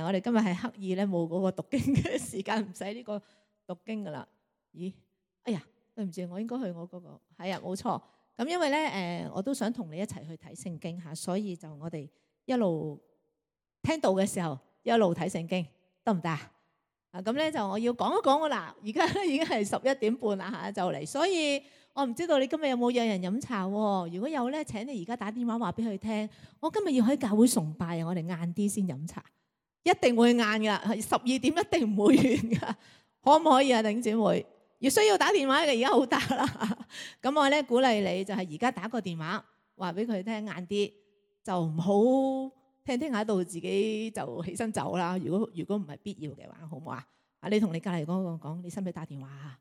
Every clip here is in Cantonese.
我哋今日係刻意咧冇嗰個讀經嘅時間，唔使呢個讀經噶啦。咦？哎呀，對唔住，我應該去我嗰個。係啊，冇錯。咁因為咧我都想同你一齊去睇聖經嚇，所以就我哋一路聽到嘅時候一路睇聖經，得唔得啊？咁咧就我要講一講啦。而家已經係11:30啦嚇，就嚟。所以我唔知道你今日有冇約人飲茶喎？如果有咧，請你而家打電話話俾佢聽。我今日要喺教會崇拜啊，我哋晏啲先飲茶，一定會晏噶，12點一定唔會完噶，可唔可以啊，弟兄姊妹？要需要打電話嘅而家好打啦。咁我咧鼓勵你就係而家打個電話話俾佢聽，晏啲就唔好聽下到自己就起身走啦。如果唔係必要嘅話，好唔好啊？你同你隔離嗰個講，你使唔使打電話啊？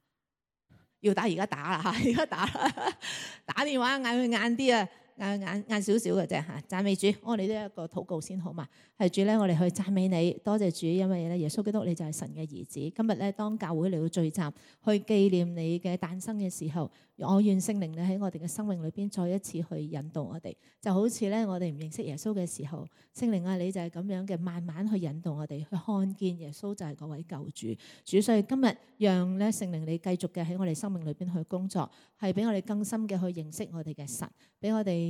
要打而家打啦嚇，而家打啦，打電話嗌佢晏啲啊！晏少少嘅啫嚇，讚美主，我哋都一個禱告先好嘛？係主咧，我哋去讚美你，多謝主，因為咧耶穌基督你就係神嘅兒子。今日咧當教會嚟到聚集去紀念你嘅誕生嘅時候，我願聖靈你喺我哋嘅生命裏邊再一次去引導我哋，就好似咧我哋唔認識耶穌嘅時候，聖靈啊你就係咁樣嘅慢慢去引導我哋去看見耶穌就係嗰位救主。主，所以今日讓咧聖靈你繼續嘅喺我哋生命裏邊去工作，係俾我哋更深嘅去認識我哋嘅神，俾我哋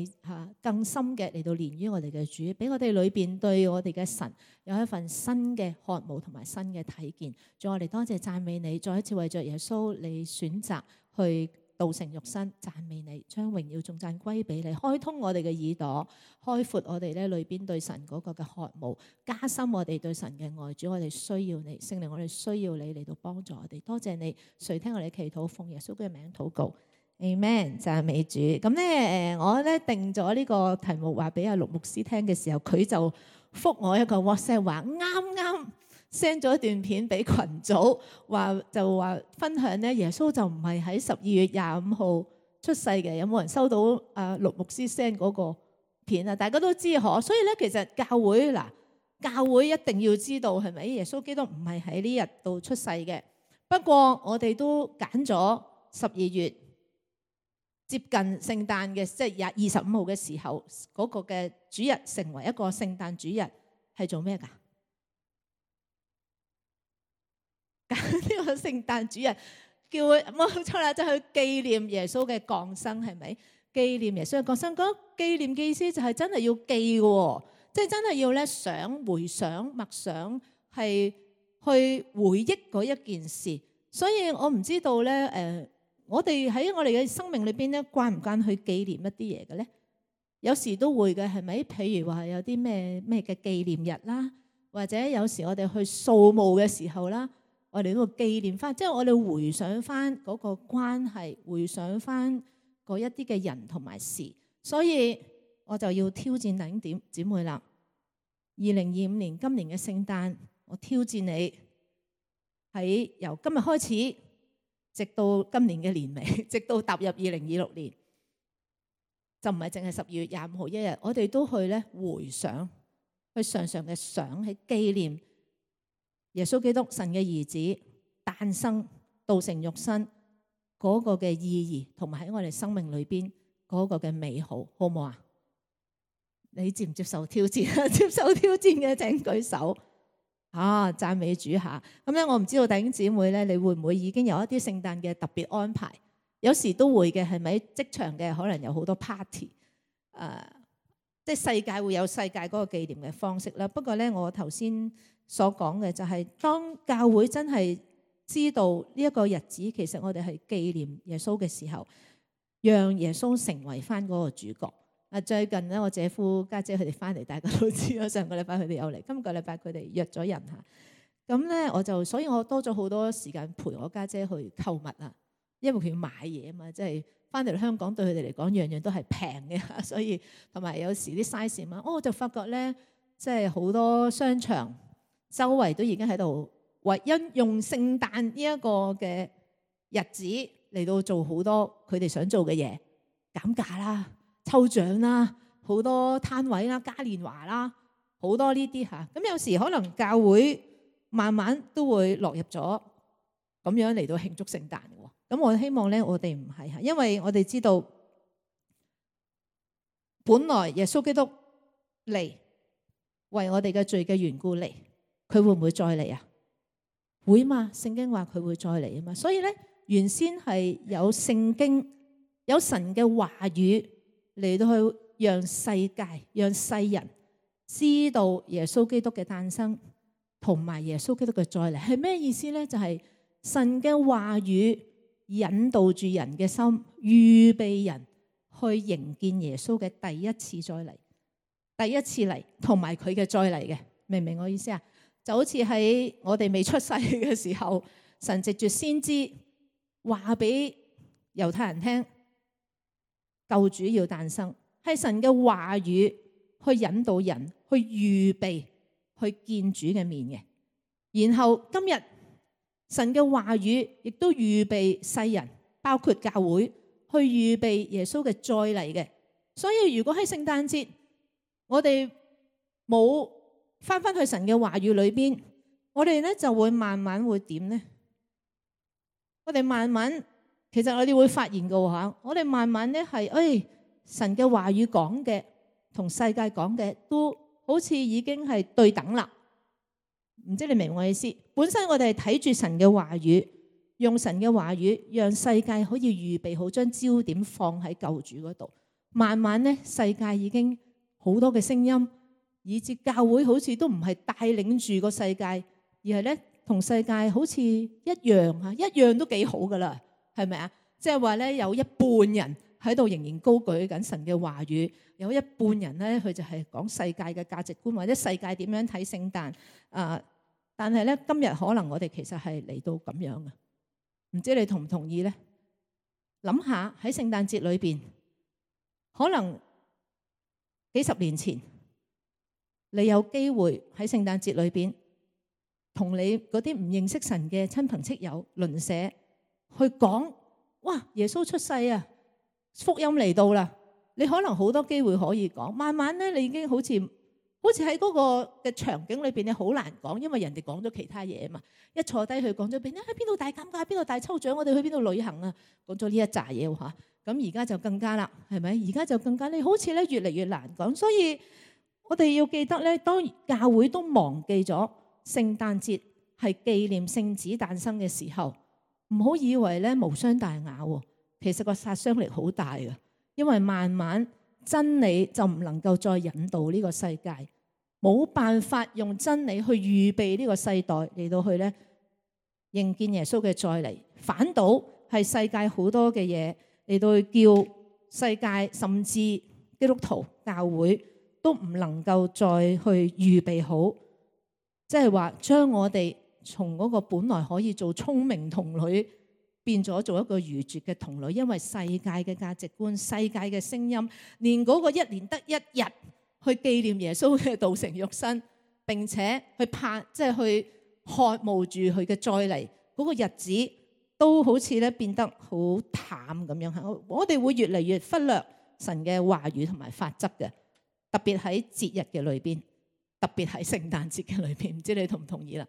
更深嘅嚟到連於我哋嘅主，俾我哋裏邊對我哋嘅神有一份新嘅渴慕同埋新嘅睇見。再我哋多謝讚美你，再一次為着耶穌你選擇去道成肉身，讚美你，將榮耀頌讚歸俾你，開通我哋嘅耳朵，開闊我哋咧裏邊對神嗰個嘅渴慕，加深我哋對神嘅愛。主，我哋需要你，聖靈，我哋需要你嚟到幫助我哋。多謝你垂聽我哋祈禱，奉耶穌嘅名禱告。Amen， 讚美主。咁咧我咧定咗呢個題目話俾阿陸牧師聽嘅時候，佢就覆我一個 WhatsApp 話啱 send 咗一段片俾群組，就話分享咧耶穌就唔係喺12月25號出世嘅。有冇人收到阿陸牧師 send 嗰個片啊？大家都知可，所以咧其實教會一定要知道係咪耶穌基督唔係喺呢日度出世嘅。不過我哋都揀咗12月。接近聖誕嘅，即係25號嘅時候，嗰個嘅主日成為一個聖誕主日，係做咩㗎？呢個聖誕主日叫佢冇錯啦，就去紀念耶穌嘅降生，係咪？紀念耶穌嘅降生，嗰紀念嘅意思就係真係要記嘅，即係真係要咧想、回想、默想，係去回憶嗰一件事。所以我唔知道咧，我哋喺我哋嘅生命裏邊咧，慣唔慣去紀念一啲嘢嘅咧？有時都會嘅，係咪？譬如話有啲咩嘅紀念日啦，或者有時我哋去掃墓嘅時候啦，我哋都會紀念翻，即係我哋回想翻嗰個關係，回想翻嗰一啲嘅人同埋事。所以我就要挑戰弟兄姊妹啦。2025年今年嘅聖誕，我挑戰你喺由今日開始，直到今年嘅年尾，直到踏入2026年，就唔係淨係12月25號一日，我哋都去咧回想，去常常嘅想，去紀念耶穌基督神嘅兒子誕生、道成肉身嗰個嘅意義，同埋喺我哋生命裏邊嗰個嘅美好，好唔好啊？你接唔接受挑戰？接受挑戰嘅請舉手。讚美主下。咁咧，我唔知道弟兄姊妹咧，你會唔會已經有一啲聖誕嘅特別安排？有時都會嘅，係咪？職場嘅可能有好多 party，即係世界會有世界嗰個紀念嘅方式啦。不過咧，我頭先所講嘅就係，當教會真係知道呢一個日子，其實我哋係紀念耶穌嘅時候，讓耶穌成為翻嗰個主角。最近咧，我姐夫家姐佢哋翻嚟，大家都知啦。上個禮拜佢哋有嚟，今個禮拜佢哋約咗人嚇。咁咧，所以我多咗好多時間陪我家姐去購物啊，因為佢要買嘢啊嘛，即係翻嚟香港對佢哋嚟講，樣樣都係平嘅，所以同埋有時啲 size 嘛，我就發覺咧，即係好多商場周圍都已經喺度為因用聖誕呢一個嘅日子嚟到做好多佢哋想做嘅嘢，減價啦、抽獎啦、好多攤位啦、嘉年華啦，好多呢啲嚇。咁有時可能教會慢慢都會落入咗咁樣嚟到慶祝聖誕嘅。咁我希望咧，我哋唔係嚇，因為我哋知道本來耶穌基督嚟為我哋嘅罪嘅緣故嚟，佢會唔會再嚟啊？會嘛？聖經話佢會再嚟啊嘛。所以咧，原先係有聖經、有神嘅話語嚟到去讓世界、讓世人知道耶穌基督嘅誕生同埋耶穌基督嘅再嚟係咩意思咧？就係神嘅話語引導住人嘅心，預備人去迎見耶穌嘅第一次再嚟，第一次嚟同埋佢嘅再嚟嘅，明唔明我意思啊？就好似喺我哋未出世嘅時候，神藉住先知話俾猶太人聽，救主要誕生，係神嘅話語去引導人去預備去見主嘅面嘅。然後今日神嘅話語亦都預備世人，包括教會去預備耶穌嘅再嚟嘅。所以如果喺聖誕節我哋冇翻去神嘅話語裏邊，我哋咧就會慢慢會點呢？我哋慢慢，其實我哋會發現嘅話，我哋慢慢咧係，神嘅話語講嘅同世界講嘅都好似已經係對等啦。唔知你明我意思？本身我哋係睇住神嘅話語，用神嘅話語讓世界可以預備好，將焦點放喺救主嗰度。慢慢咧，世界已經好多嘅聲音，以至教會好似都唔係帶領住個世界，而係咧同世界好似一樣嚇，一樣都幾好噶啦，係咪啊？即係話咧，有一半人喺度仍然高舉緊神嘅話語，有一半人咧佢就係講世界嘅價值觀，或者世界點樣睇聖誕啊。但係咧，今日可能我哋其實係嚟到咁樣嘅，唔知你同唔同意咧？諗下喺聖誕節裏邊，可能幾十年前，你有機會喺聖誕節裏邊同你嗰啲唔認識神嘅親朋戚友、鄰舍去講，哇！耶穌出世啊，福音嚟到啦！你可能好多機會可以講，慢慢咧你已經好似喺嗰個嘅場景裏邊，你好難講，因為人哋講咗其他嘢啊嘛。一坐低去講咗邊，喺邊度大減價，邊度大抽獎，我哋去邊度旅行啊？講咗呢一紮嘢嚇，咁而家就更加啦，係咪？而家就更加，你好似咧越嚟越難講，所以我哋要記得咧，當教會都忘記咗聖誕節係紀念聖子誕生嘅時候，唔好以為咧無傷大雅喎，其實個殺傷力好大嘅，因為慢慢真理就唔能夠再引導呢個世界。冇辦法用真理去預備呢個世代嚟到去咧迎見耶穌嘅再嚟，反倒係世界好多嘅嘢嚟到去叫世界甚至基督徒教會都唔能夠再去預備好，即係話將我哋從嗰個本來可以做聰明童女變咗做一個愚拙嘅童女，因為世界嘅價值觀、世界嘅聲音，連嗰個一年得一日去紀念耶穌嘅道成肉身，並且去即係去渴慕住佢嘅再嚟嗰個日子，都好似咧變得好淡咁樣。我哋會越嚟越忽略神嘅話語同埋法則嘅，特別喺節日嘅裏邊，特別喺聖誕節嘅裏邊。唔知你同唔同意啦？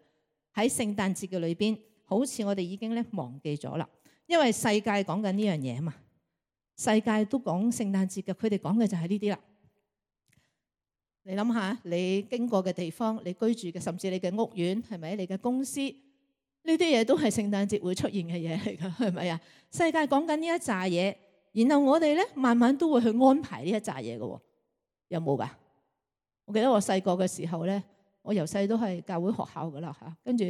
喺聖誕節嘅裏邊，好似我哋已經咧忘記咗啦，因為世界講緊呢樣嘢啊嘛，世界都講聖誕節嘅，佢哋講嘅就係呢啲啦。你諗下，你經過嘅地方，你居住嘅，甚至你嘅屋苑，係咪？你嘅公司，呢啲嘢都係聖誕節會出現嘅嘢嚟噶，係咪啊？世界講緊呢一紮嘢，然後我哋咧慢慢都會去安排呢一紮嘢嘅，有冇噶？我記得我細個嘅時候咧，我由細都係教會學校噶啦吓，跟住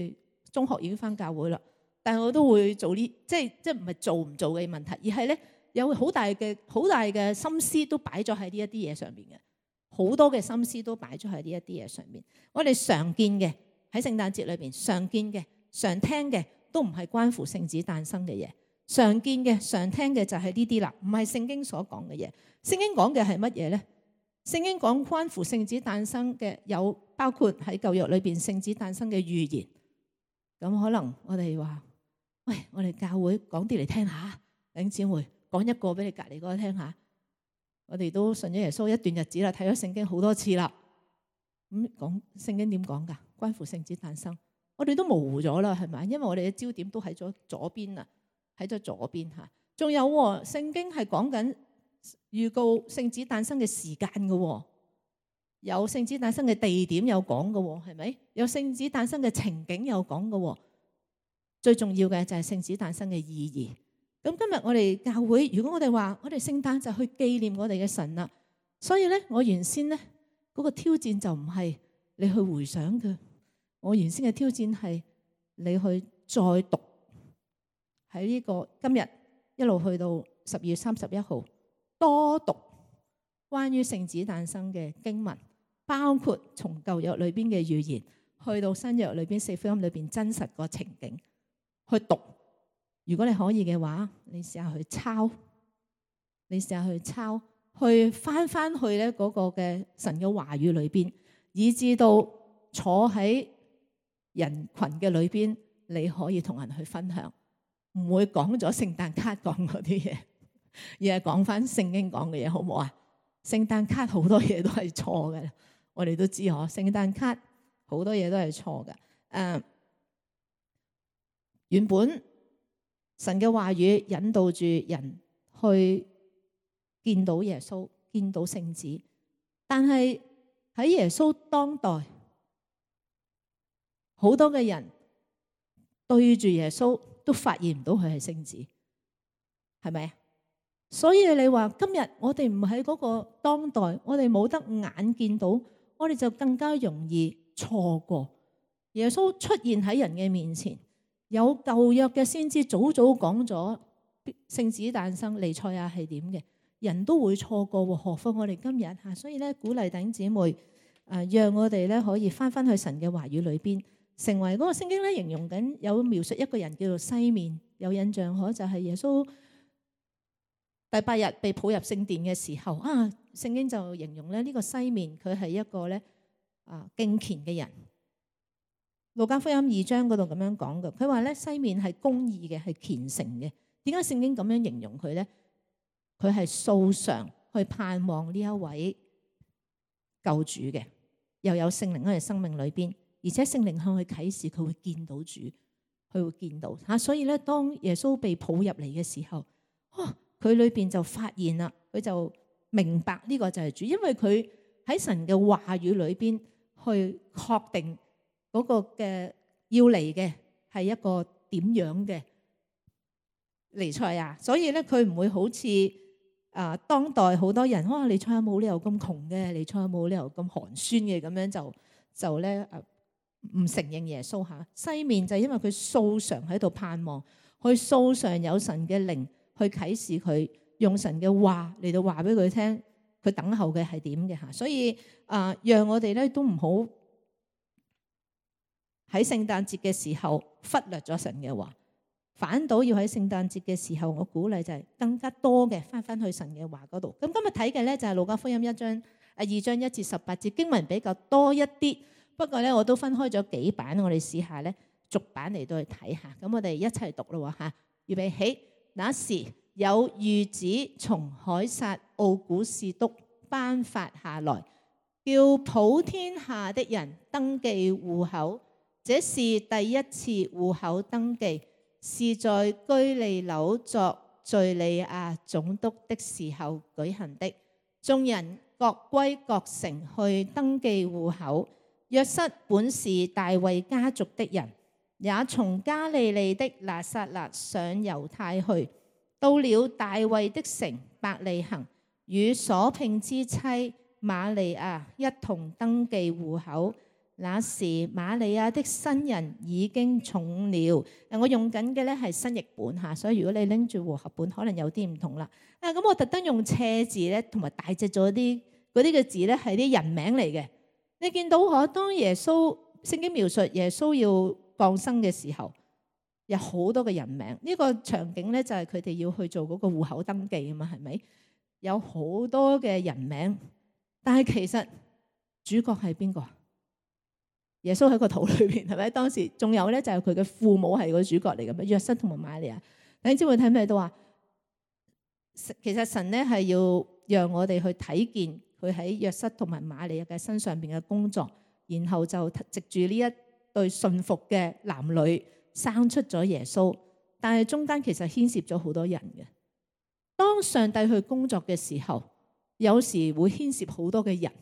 中學已經返教會啦，但係我都會做呢，即係唔係做唔做嘅問題，而係咧有好大嘅心思都擺咗喺呢一啲嘢上邊嘅。好多嘅心思都擺咗喺呢一啲嘢上面。我哋常見嘅喺聖誕節裏邊，常見嘅、常聽嘅都唔係關乎聖子誕生嘅嘢。常見嘅、常聽嘅就係呢啲啦，唔係聖經所講嘅嘢。聖經講嘅係乜嘢呢？聖經講關乎聖子誕生嘅有包括喺舊約裏邊聖子誕生嘅預言。咁可能我哋話，喂，我哋教會講啲嚟聽下，弟兄姊妹講一個俾你隔離嗰個聽下。我哋都信咗耶穌一段日子啦，睇咗聖經好多次啦。咁講聖經點講㗎？關乎聖子誕生，我哋都模糊咗啦，係咪？因為我哋嘅焦點都喺咗左邊啊，喺咗左邊嚇。仲有聖經係講緊預告聖子誕生嘅時間嘅。有聖子誕生嘅地點有講嘅，係咪？有聖子誕生嘅情景有講嘅。最重要嘅就係聖子誕生嘅意義。咁今日我哋教會，如果我哋話我哋聖誕就去紀念我哋嘅神啦，所以咧我原先咧嗰個挑戰就唔係你去回想嘅，我原先嘅挑戰係你去再讀喺呢個今日一路去到12月31號，多讀關於聖子誕生嘅經文，包括從舊約裏邊嘅預言去到新約裏邊四福音裏邊真實個情景去讀。如果你可以嘅話，你試下去抄，去翻去咧嗰個嘅神嘅話語裏邊，以至到坐喺人群嘅裏邊，你可以同人去分享，唔會講咗聖誕卡講嗰啲嘢，而係講翻聖經講嘅嘢，好唔好啊？聖誕卡好多嘢都係錯嘅，我哋都知嗬。聖誕卡好多嘢都係錯嘅。原本神嘅話語引導住人去見到耶穌，見到聖子，但係喺耶穌當代，好多嘅人對住耶穌都發現唔到佢係聖子，係咪啊？所以你話今日我哋唔喺嗰個當代，我哋冇得眼見到，我哋就更加容易錯過。耶穌出現喺人嘅面前。有舊約嘅先知早講咗聖子誕生彌賽亞係點嘅，人都會錯過，何況我哋今日吓。所以咧，鼓勵弟兄姊妹，讓我哋咧可以翻去神嘅話語裏邊，成為嗰個聖經咧形容緊有描述一個人叫做西面，有印象可就係耶穌第8日被抱入聖殿嘅時候啊，聖經就形容咧呢個西面佢係一個咧敬虔嘅人。路加福音2章嗰度咁樣講嘅，佢話咧西面係公義嘅，係虔誠嘅。點解聖經咁樣形容佢咧？佢係素常去盼望呢一位救主嘅，又有聖靈喺佢生命裏邊，而且聖靈向佢啟示，佢會見到主，佢會見到吓。所以咧，當耶穌被抱入嚟嘅時候，佢裏邊就發現啦，佢就明白呢個就係主，因為佢喺神嘅話語裏邊去確定。嗰個嘅要嚟嘅係一個點樣嘅彌賽亞，所以咧佢唔會好似當代好多人，彌賽亞冇理由咁窮嘅，彌賽亞冇理由咁寒酸嘅，咁樣就咧唔承認耶穌嚇。西面就係因為佢素常喺度盼望，佢素常有神嘅靈去啟示佢，用神嘅話嚟到話俾佢聽，佢等候嘅係點嘅嚇。所以讓我哋咧都唔好喺聖誕節嘅時候忽略咗神嘅話，反倒要喺聖誕節嘅時候，我鼓勵就係更加多嘅翻去神嘅話嗰度。咁今日睇嘅咧就係路加福音2章1至18節，經文比較多一啲，不過咧我都分開咗幾版，我哋試下咧逐版嚟到去睇下。咁我哋一齊讀咯嚇，預備起。那時有諭旨從凱撒奧古士督頒發下來，叫普天下的人登記戶口。這是第一次戶口登記，是在居利紐作敘利亞總督的時候舉行的。眾人各歸各城去登記戶口。約瑟本是大衛家族的人，也從加利利的拿撒勒上猶太去，到了大衛的城伯利恆，與所聘之妻瑪利亞一同登記戶口。那時瑪利亞的身孕已經重了。我用緊嘅咧係新譯本嚇，所以如果你拎住和合本，可能有啲唔同啦。咁我特登用斜字咧，同埋大隻咗啲嗰啲嘅字咧，係啲人名嚟嘅。你見到嗬，當耶穌聖經描述耶穌要降生嘅時候，有好多嘅人名。呢個場景咧就係佢哋要去做嗰個戶口登記啊嘛，係咪？有好多嘅人名，但係其實主角係邊個？耶穌喺個肚裏邊，係咪？當時仲有咧，就係佢嘅父母係個主角嚟嘅咩？約瑟同埋瑪利亞。你知唔知睇咩都話？其實神咧係要讓我哋去睇見佢喺約瑟同埋瑪利亞嘅身上邊嘅工作，然後就藉住呢一對信服嘅男女生出咗耶穌。但係中間其實牽涉咗好多人嘅。當上帝去工作嘅時候，有時會牽涉好多嘅人。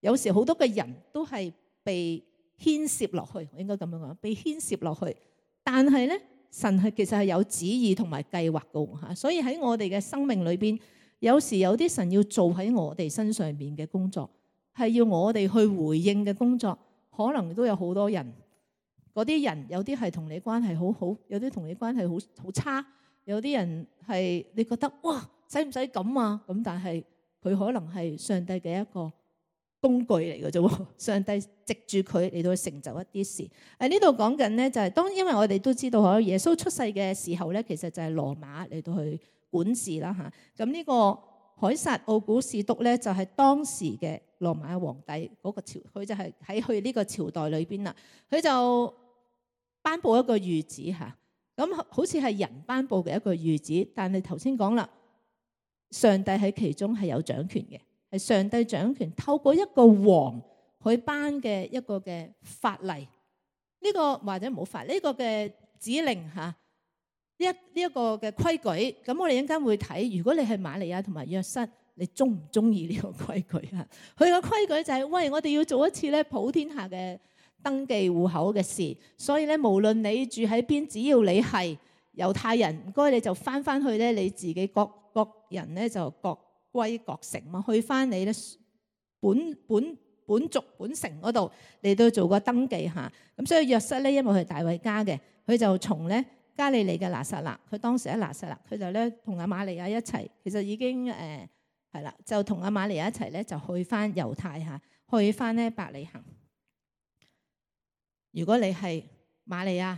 有時好多嘅人都係被牽涉落去，我應該咁樣講，被牽涉落去。但係咧，神係其實係有旨意同埋計劃嘅嚇，所以喺我哋嘅生命裏邊，有時有啲神要做喺我哋身上邊嘅工作，係要我哋去回應嘅工作，可能都有好多人。嗰啲人有啲係同你關係好好，有啲同你關係好差，有啲人係你覺得哇，使唔使咁啊？咁但係佢可能係上帝嘅一個工具嚟嘅啫，上帝藉住佢嚟到成就一啲事。呢度講緊咧就係當，因為我哋都知道可耶穌出世嘅時候咧，其實就係羅馬嚟到去管治啦嚇。咁呢個凱撒奧古士督咧就係當時嘅羅馬皇帝嗰個朝，佢就係喺佢呢個朝代裏邊啦。佢就頒布一個諭旨嚇，咁好似係人頒布嘅一個諭旨，但係頭先講啦，上帝喺其中係有掌權嘅。係上帝掌權，透過一個王去頒嘅一個嘅法例，呢個或者冇法呢個嘅指令嚇，呢一個嘅規矩。咁我哋一陣間會睇，如果你係瑪利亞同埋約瑟，你中唔中意呢個規矩啊？佢個規矩就係，喂，我哋要做一次咧普天下嘅登記戶口嘅事，所以咧無論你住喺邊，只要你係猶太人，唔該你就翻去咧你自己各人咧就各歸各城嘛，去翻你咧本族本城嗰度嚟到做個登記嚇。咁所以約瑟咧，因為佢係大衛家嘅，佢就從咧加利利嘅拿撒勒，佢當時喺拿撒勒，佢就咧同阿瑪利亞一齊，其實已經係啦，就同阿瑪利亞一齊咧就去翻猶太嚇，去翻咧伯利恆。如果你係瑪利亞，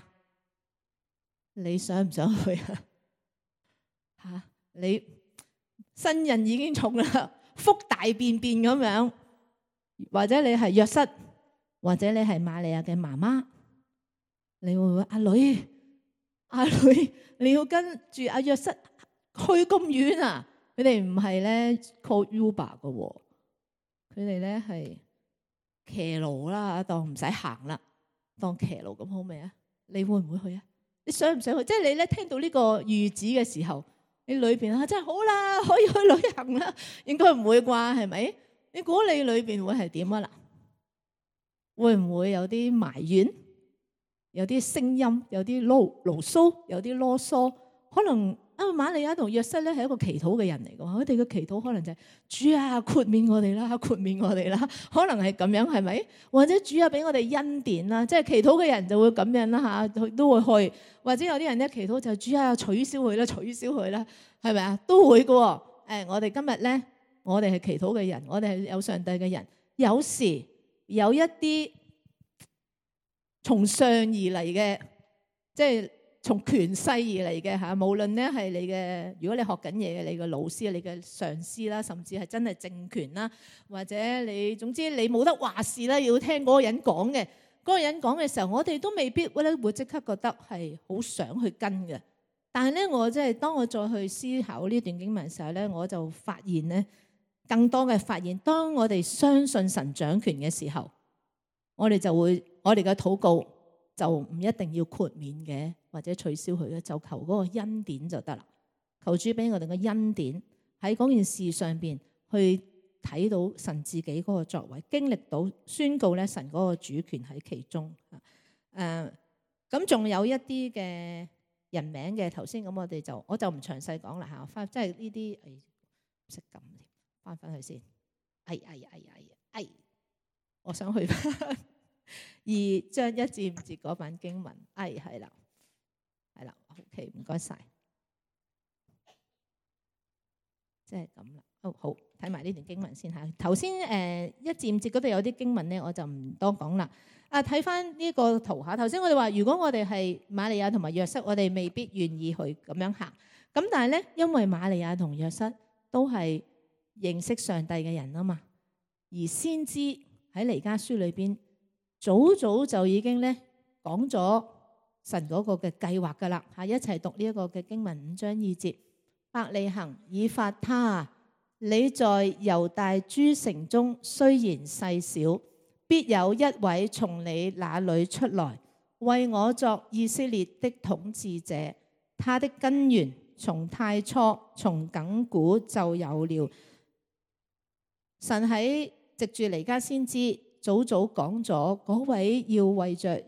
你想唔想去啊？嚇你？身孕已經重啦，腹大便便咁樣，或者你係約瑟，或者你係瑪利亞嘅媽媽，你會唔會阿女，你要跟住阿約瑟去咁遠啊？佢哋唔係咧 call Uber 嘅喎，佢哋咧係騎驢啦，當唔使行啦，當騎驢咁好未啊？你會唔會去啊？你想唔想去？即係你咧聽到呢個諭旨嘅時候，你裏邊真係好啦，可以去旅行啦，應該唔會啩，係咪？你估你裏邊會係點啊？嗱，會唔會有啲埋怨，有啲聲音，有啲牢騷，有啲囉嗦？可能瑪利亞同約瑟咧係一個祈禱嘅人嚟嘅，佢哋嘅祈禱可能就係主啊，豁免我哋啦，豁免我哋啦，可能係咁樣，係咪？或者主啊，俾我哋恩典啦，即係祈禱嘅人就會咁樣啦嚇，佢都會去。或者有啲人咧祈禱就係主啊，取消佢啦，取消佢啦，係咪啊？都會嘅。我哋今日咧，我哋係祈禱嘅人，我哋係有上帝嘅人。有時有一啲從上而嚟嘅，即係從權勢而嚟嘅嚇。無論咧係你嘅，如果你學緊嘢嘅，你嘅老師、你嘅上司啦，甚至係真係政權啦，或者你總之你冇得話事啦，要聽嗰個人講嘅。嗰個人講嘅時候，我哋都未必咧會即刻覺得係好想去跟嘅。但係咧，我即係當我再去思考呢段經文嘅時候咧，我就發現咧更多嘅發現。當我哋相信神掌權嘅時候，我哋嘅禱告就唔一定要豁免嘅，或者取消佢嘅，就求嗰個恩典就得啦。求主俾我哋嘅恩典喺嗰件事上邊去睇到神自己嗰個作為，經歷到宣告咧神嗰個主權喺其中。咁仲有一啲嘅人名嘅，頭先咁我就唔詳細講啦嚇，即係呢啲唔識撳添，翻去先。我想去翻2章1至5節嗰版經文。係啦，OK， 唔該晒。即係咁啦。好，睇埋呢段經文先嚇。頭先1至5節嗰度有啲經文咧，我就唔多講啦。睇翻呢個圖下，頭先我哋話，如果我哋係瑪利亞同埋約瑟，我哋未必願意去咁樣行。咁但係咧，因為瑪利亞同約瑟都係認識上帝嘅人啊嘛，而先知喺彌迦書裏邊早就已經咧講咗神嗰個嘅計劃噶啦嚇。一齊讀呢一個嘅經文5章2節。伯利恆以法他，你在猶大諸城中雖然細小，必有一位從你那裏出來，為我作以色列的統治者。他的根源從太初從亙古就有了。神喺藉住彌迦先知早早講咗嗰位要為着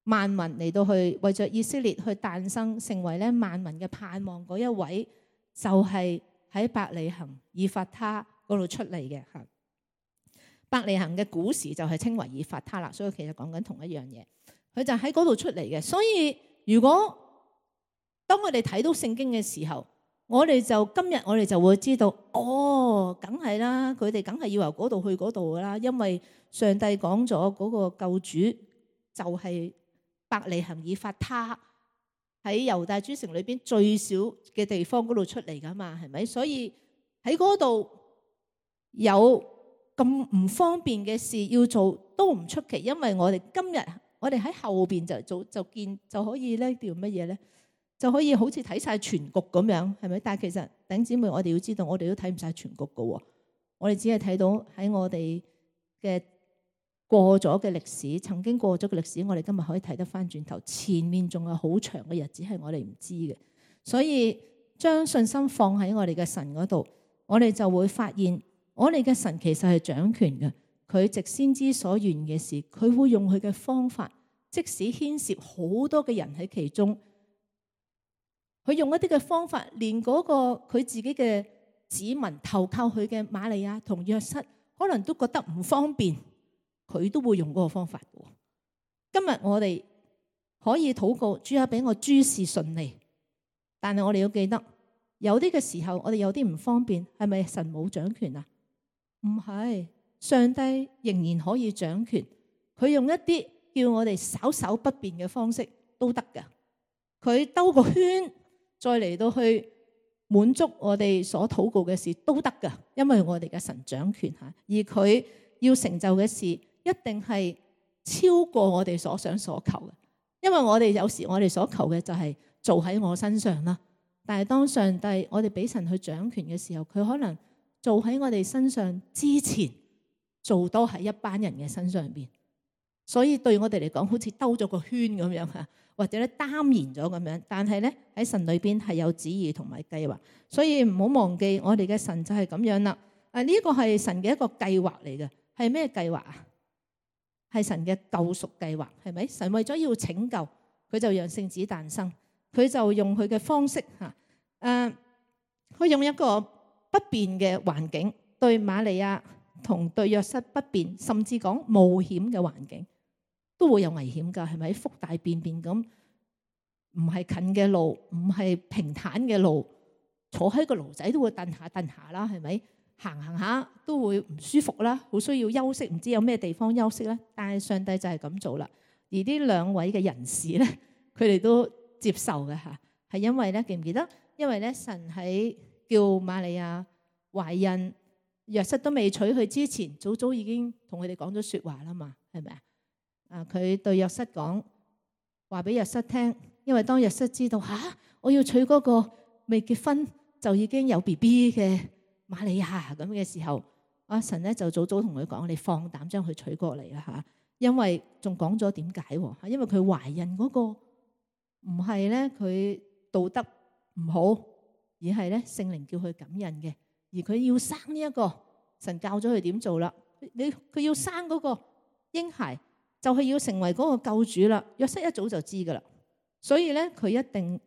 萬民嚟到去為着以色列去誕生，成為咧萬民嘅盼望嗰一位，就係喺伯利恆以法他嗰度出嚟嘅嚇。伯利恆嘅古時就係稱為以法他啦，所以其實講緊同一樣嘢。佢就喺嗰度出嚟嘅。所以如果當我哋睇到聖經嘅時候，今日我哋就會知道，梗係啦，佢哋梗係要由嗰度去嗰度噶啦，因為上帝講咗嗰個救主就係伯利恆以法他，喺猶大諸城裏邊最小嘅地方嗰度出嚟噶嘛，係咪？所以喺嗰度有咁唔方便嘅事要做都唔出奇，因為我哋今日我哋喺後邊就可以咧叫乜嘢咧？就可以好似睇晒全局咁樣，係咪？但係其實弟兄姊妹，我哋要知道，我哋都睇唔晒全局噶喎。我哋只係睇到喺我哋嘅過咗嘅歷史，曾經過咗嘅歷史，我哋今日可以睇得翻轉頭，前面仲有好長嘅日子係我哋唔知嘅。所以將信心放喺我哋嘅神嗰度，我哋就會發現，我哋嘅神其實係掌權嘅。佢藉先知所願嘅事，佢會用佢嘅方法，即使牽涉好多嘅人喺其中。佢用一啲嘅方法，連嗰個佢自己嘅子民投靠佢嘅瑪利亞同約瑟，可能都覺得唔方便，佢都會用嗰個方法嘅。今日我哋可以禱告，主啊，俾我諸事順利。但係我哋要記得，有啲嘅時候我哋有啲唔方便，係咪神冇掌權啊？唔係，上帝仍然可以掌權。佢用一啲叫我哋稍稍不便嘅方式都得㗎。佢兜個圈，再嚟到去滿足我哋所禱告嘅事都得㗎，因為我哋嘅神掌權吓，而佢要成就嘅事一定係超過我哋所想所求嘅。因為我哋有時我哋所求嘅就係做喺我身上啦，但係當上帝我哋俾神去掌權嘅時候，佢可能做喺我哋身上之前，做多喺一班人嘅身上邊，所以對我哋嚟講，好似兜咗個圈咁樣吓。或者咧耽延咗咁樣，但係咧喺神裏邊係有旨意同埋計劃，所以唔好忘記我哋嘅神就係咁樣啦。呢個係神嘅一個計劃嚟嘅，係咩計劃啊？係神嘅救贖計劃，係咪？神為咗要拯救，佢就讓聖子誕生，佢就用佢嘅方式吓，佢用一個不便嘅環境，對瑪利亞同對約瑟不便，甚至講冒險嘅環境。都會有危險㗎，係咪？福大便便咁，唔係近嘅路，唔係平坦嘅路，坐喺個驢仔都會蹬下啦，係咪？行下都會唔舒服啦，好需要休息，唔知有咩地方休息咧。但係上帝就係咁做啦。而呢兩位嘅人士咧，佢哋都接受嘅嚇，係因為咧，記唔記得？因為咧，神喺叫瑪利亞懷孕，約瑟都未娶佢之前，早早已經同佢哋講咗説話啦嘛，係咪啊？佢對約瑟講話俾約瑟聽，因為當約瑟知道我要娶嗰個未結婚就已經有 BB 嘅瑪利亞咁嘅時候，神咧就早早同佢講：你放膽將佢娶過嚟啦嚇！因為仲講咗點解喎？因為佢懷孕嗰個唔係咧佢道德唔好，而係咧聖靈叫佢感孕嘅，而佢要生呢一個，神教咗佢點做啦。佢要生嗰個嬰孩。就係要成為嗰個救主啦。約瑟一早就知噶啦，所以咧佢一定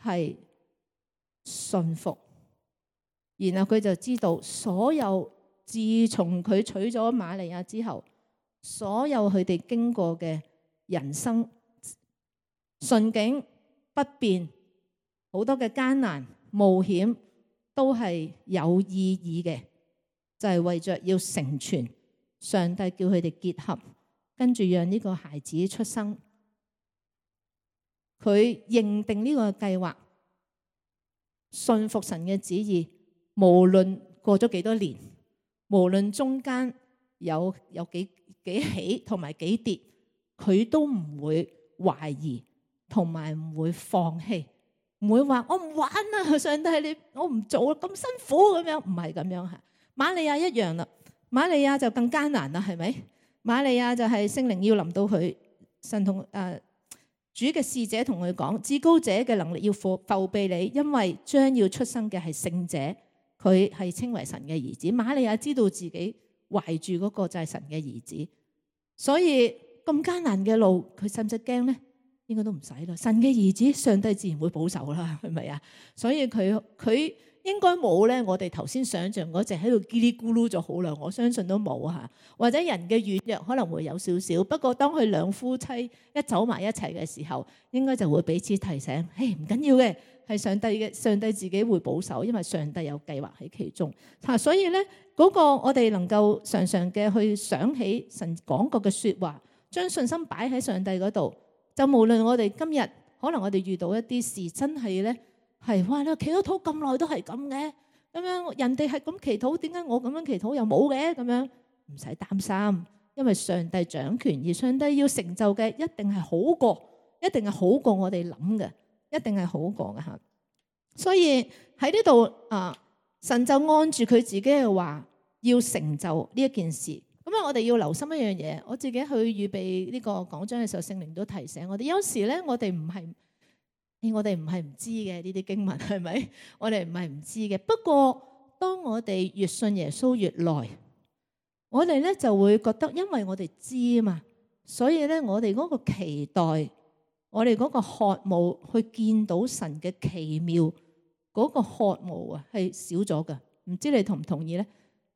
係信服，然後佢就知道所有自從佢娶咗瑪利亞之後，所有佢哋經過嘅人生順境不便，好多嘅艱難冒險，都係有意義嘅，就係為着要成全上帝叫佢哋結合。跟住讓呢個孩子出生，佢認定呢個計劃，信服神嘅旨意，無論過咗幾多年，無論中間有幾起同埋幾跌，佢都唔會懷疑，同埋唔會放棄，唔會話我唔玩啦，上帝我唔做啦，咁辛苦咁樣，唔係咁樣吓。瑪利亞一樣啦，瑪利亞就更艱難啦，係咪？瑪利亞就係聖靈要臨到佢，神同主嘅使者同佢講，至高者嘅能力要覆庇你，因為將要出生嘅係聖者，佢係稱為神嘅兒子。瑪利亞知道自己懷住嗰個就係神嘅兒子。所以咁艱難嘅路，佢使唔使驚咧？應該都唔使啦。神嘅兒子，上帝自然會保守啦，係咪啊？所以佢應該冇咧，我哋頭先想象嗰隻喺度嘰哩咕嚕咗好耐，我相信都冇嚇。或者人嘅軟弱可能會有少少，不過當佢兩夫妻一走埋一齊嘅時候，應該就會彼此提醒，嘿，唔緊要嘅，係上帝自己會保守，因為上帝有計劃喺其中嚇。所以咧，嗰個我哋能夠常常嘅去想起神講過嘅説話，將信心擺喺上帝嗰度，就無論我哋今日可能我哋遇到一啲事，真係咧。係哇！你祈咗禱咁耐都係咁嘅，咁樣人哋係咁祈禱，點解我咁樣祈禱又冇嘅？咁樣唔使擔心，因為上帝掌權，而上帝要成就嘅一定係好過我哋諗嘅，一定係好過嘅嚇。所以喺呢度神就按住佢自己嘅話，要成就呢一件事。咁啊，我哋要留心一樣嘢。我自己去預備呢個講章嘅時候，聖靈都提醒我哋，有時咧我哋唔係唔知嘅呢啲經文，係咪？我哋唔係唔知嘅。不過當我哋越信耶穌越耐，我哋咧就會覺得，因為我哋知啊嘛，所以咧我哋嗰個期待，我哋嗰個渴慕去見到神嘅奇妙嗰個渴慕啊，係少咗噶。唔知你同唔同意咧？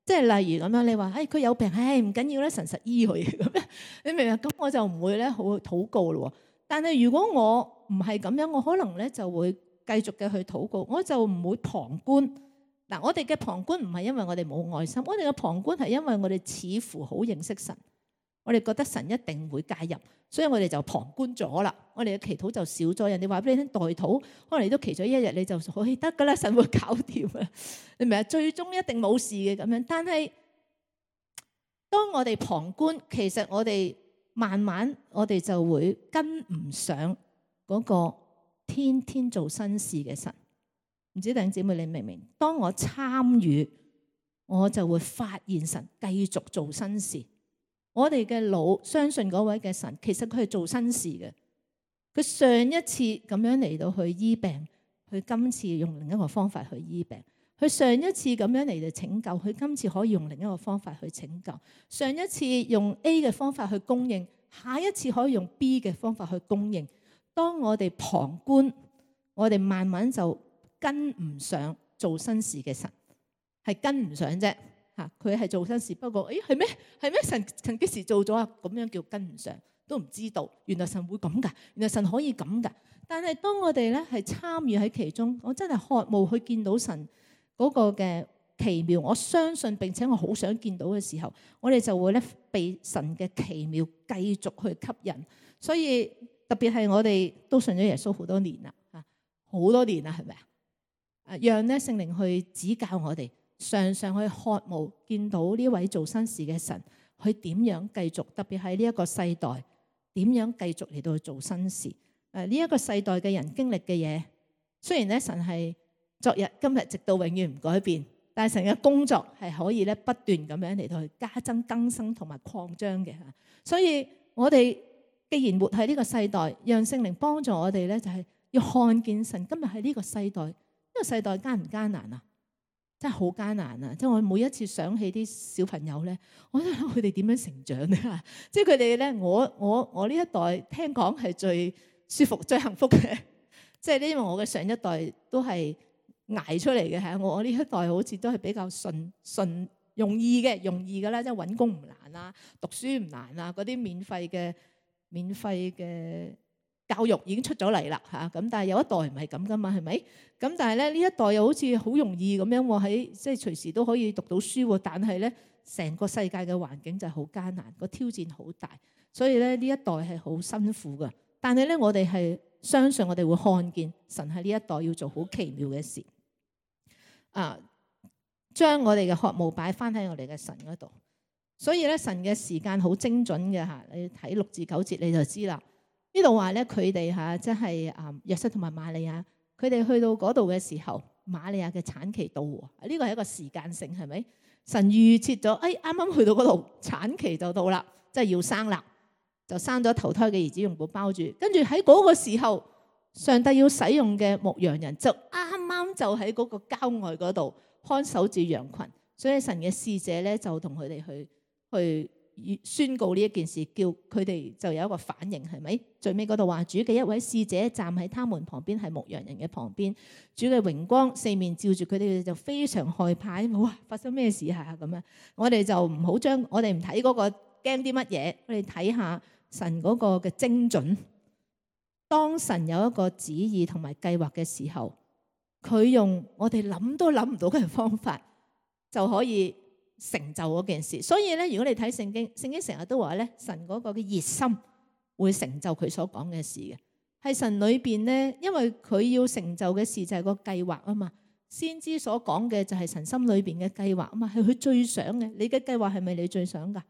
即係例如咁樣，你話佢有病，唔緊要咧，神實醫佢咁樣，你明唔明？咁我就唔會咧好禱告咯。但係如果我唔係咁樣，我可能咧就會繼續嘅去禱告，我就唔會旁觀。嗱，我哋嘅旁觀唔係因為我哋冇愛心，我哋嘅旁觀係因為我哋似乎好認識神，我哋覺得神一定會介入，所以我哋就旁觀咗啦。我哋嘅祈禱就少咗。人哋話俾你聽代禱，可能你都祈咗一日，你就可以得噶啦，神會搞掂啊！你明唔明？最終一定冇事嘅咁樣。但係當我哋旁觀，其實我哋慢慢我哋就會跟唔上嗰個天天做新事嘅神。唔知弟兄姊妹你明唔明？當我參與，我就會發現神繼續做新事。我哋嘅腦相信嗰位嘅神，其實佢係做新事嘅。佢上一次咁樣嚟到去醫病，佢今次用另一個方法去醫病。佢上一次咁樣嚟到拯救，佢今次可以用另一個方法去拯救。上一次用 A 嘅方法去供應，下一次可以用 B 嘅方法去供應。當我哋旁觀，我哋慢慢就跟唔上做新事嘅神，係跟唔上啫嚇。佢係做新事，不過係咩？係咩？神幾時做咗啊？咁樣叫跟唔上，都唔知道。原來神會咁噶，原來神可以咁噶。但係當我哋咧係參與喺其中，我真係渴慕去見到神嗰個嘅奇妙，我相信並且我好想見到嘅時候，我哋就會咧被神嘅奇妙繼續去吸引。所以特別係我哋都信咗耶穌好多年啦，好多年啦，係咪啊？讓咧聖靈去指教我哋，常常去渴慕見到呢位做新事嘅神，佢點樣繼續，特別喺呢一個世代，點樣繼續嚟到去做新事。呢一個世代嘅人經歷嘅嘢，雖然咧神係昨日今日直到永遠唔改變，但係神嘅工作係可以咧不斷咁樣嚟到去加增更新同埋擴張嘅。所以我哋既然活喺呢個世代，讓聖靈幫助我哋咧，就係要看見神今日喺呢個世代。呢個世代艱唔艱難啊？真係好艱難啊！即係我每一次想起啲小朋友咧，我都諗佢哋點樣成長咧？即係佢哋咧，我呢一代聽講係最舒服、最幸福嘅。即係因為我嘅上一代都係捱出嚟嘅嚇，我呢一代好似都係比較順容易嘅啦，即係揾工唔難啊，讀書唔難啊，嗰啲免費嘅教育已經出咗嚟啦嚇，咁但係有一代唔係咁噶嘛，係咪？咁但係咧呢一代又好似好容易咁樣喎，喺即係隨時都可以讀到書喎，但係咧成個世界嘅環境就係好艱難，個挑戰好大，所以咧呢一代係好辛苦噶。但係咧我哋係相信我哋會看見神喺呢一代要做好奇妙嘅事，將我哋嘅渴慕擺翻喺我哋嘅神嗰度。所以咧神嘅時間好精準嘅嚇，你睇6至9節你就知啦。呢度話咧，佢哋嚇即係約瑟同埋瑪利亞，佢哋去到嗰度嘅時候，瑪利亞嘅產期到喎。呢個係一個時間性，係咪？神預設咗，啱啱去到嗰度，產期就到啦，即係要生啦，就生咗頭胎嘅兒子用布包住。跟住喺嗰個時候，上帝要使用嘅牧羊人就啱啱就喺嗰個郊外嗰度看守住羊群。所以神嘅使者咧就同佢哋去宣告呢一件事，叫佢哋就有一個反應，係咪？最尾嗰度話，主嘅一位使者站喺他們旁邊，係牧羊人嘅旁邊，主嘅榮光四面照住佢哋，就非常害怕。哇！發生咩事啊？咁樣，我哋就唔好將我哋唔睇嗰個驚啲乜嘢，我哋睇下神嗰個嘅精準。當神有一個旨意同埋計劃嘅時候，佢用我哋諗都諗唔到嘅方法就可以成就嗰件事。所以咧，如果你睇聖經，聖經成日都話咧，神嗰個嘅熱心會成就佢所講嘅事嘅。係神裏邊咧，因為佢要成就嘅事就係個計劃啊嘛。先知所講嘅就係神心裏邊嘅計劃啊嘛，係佢最想嘅。你嘅計劃係咪你最想噶？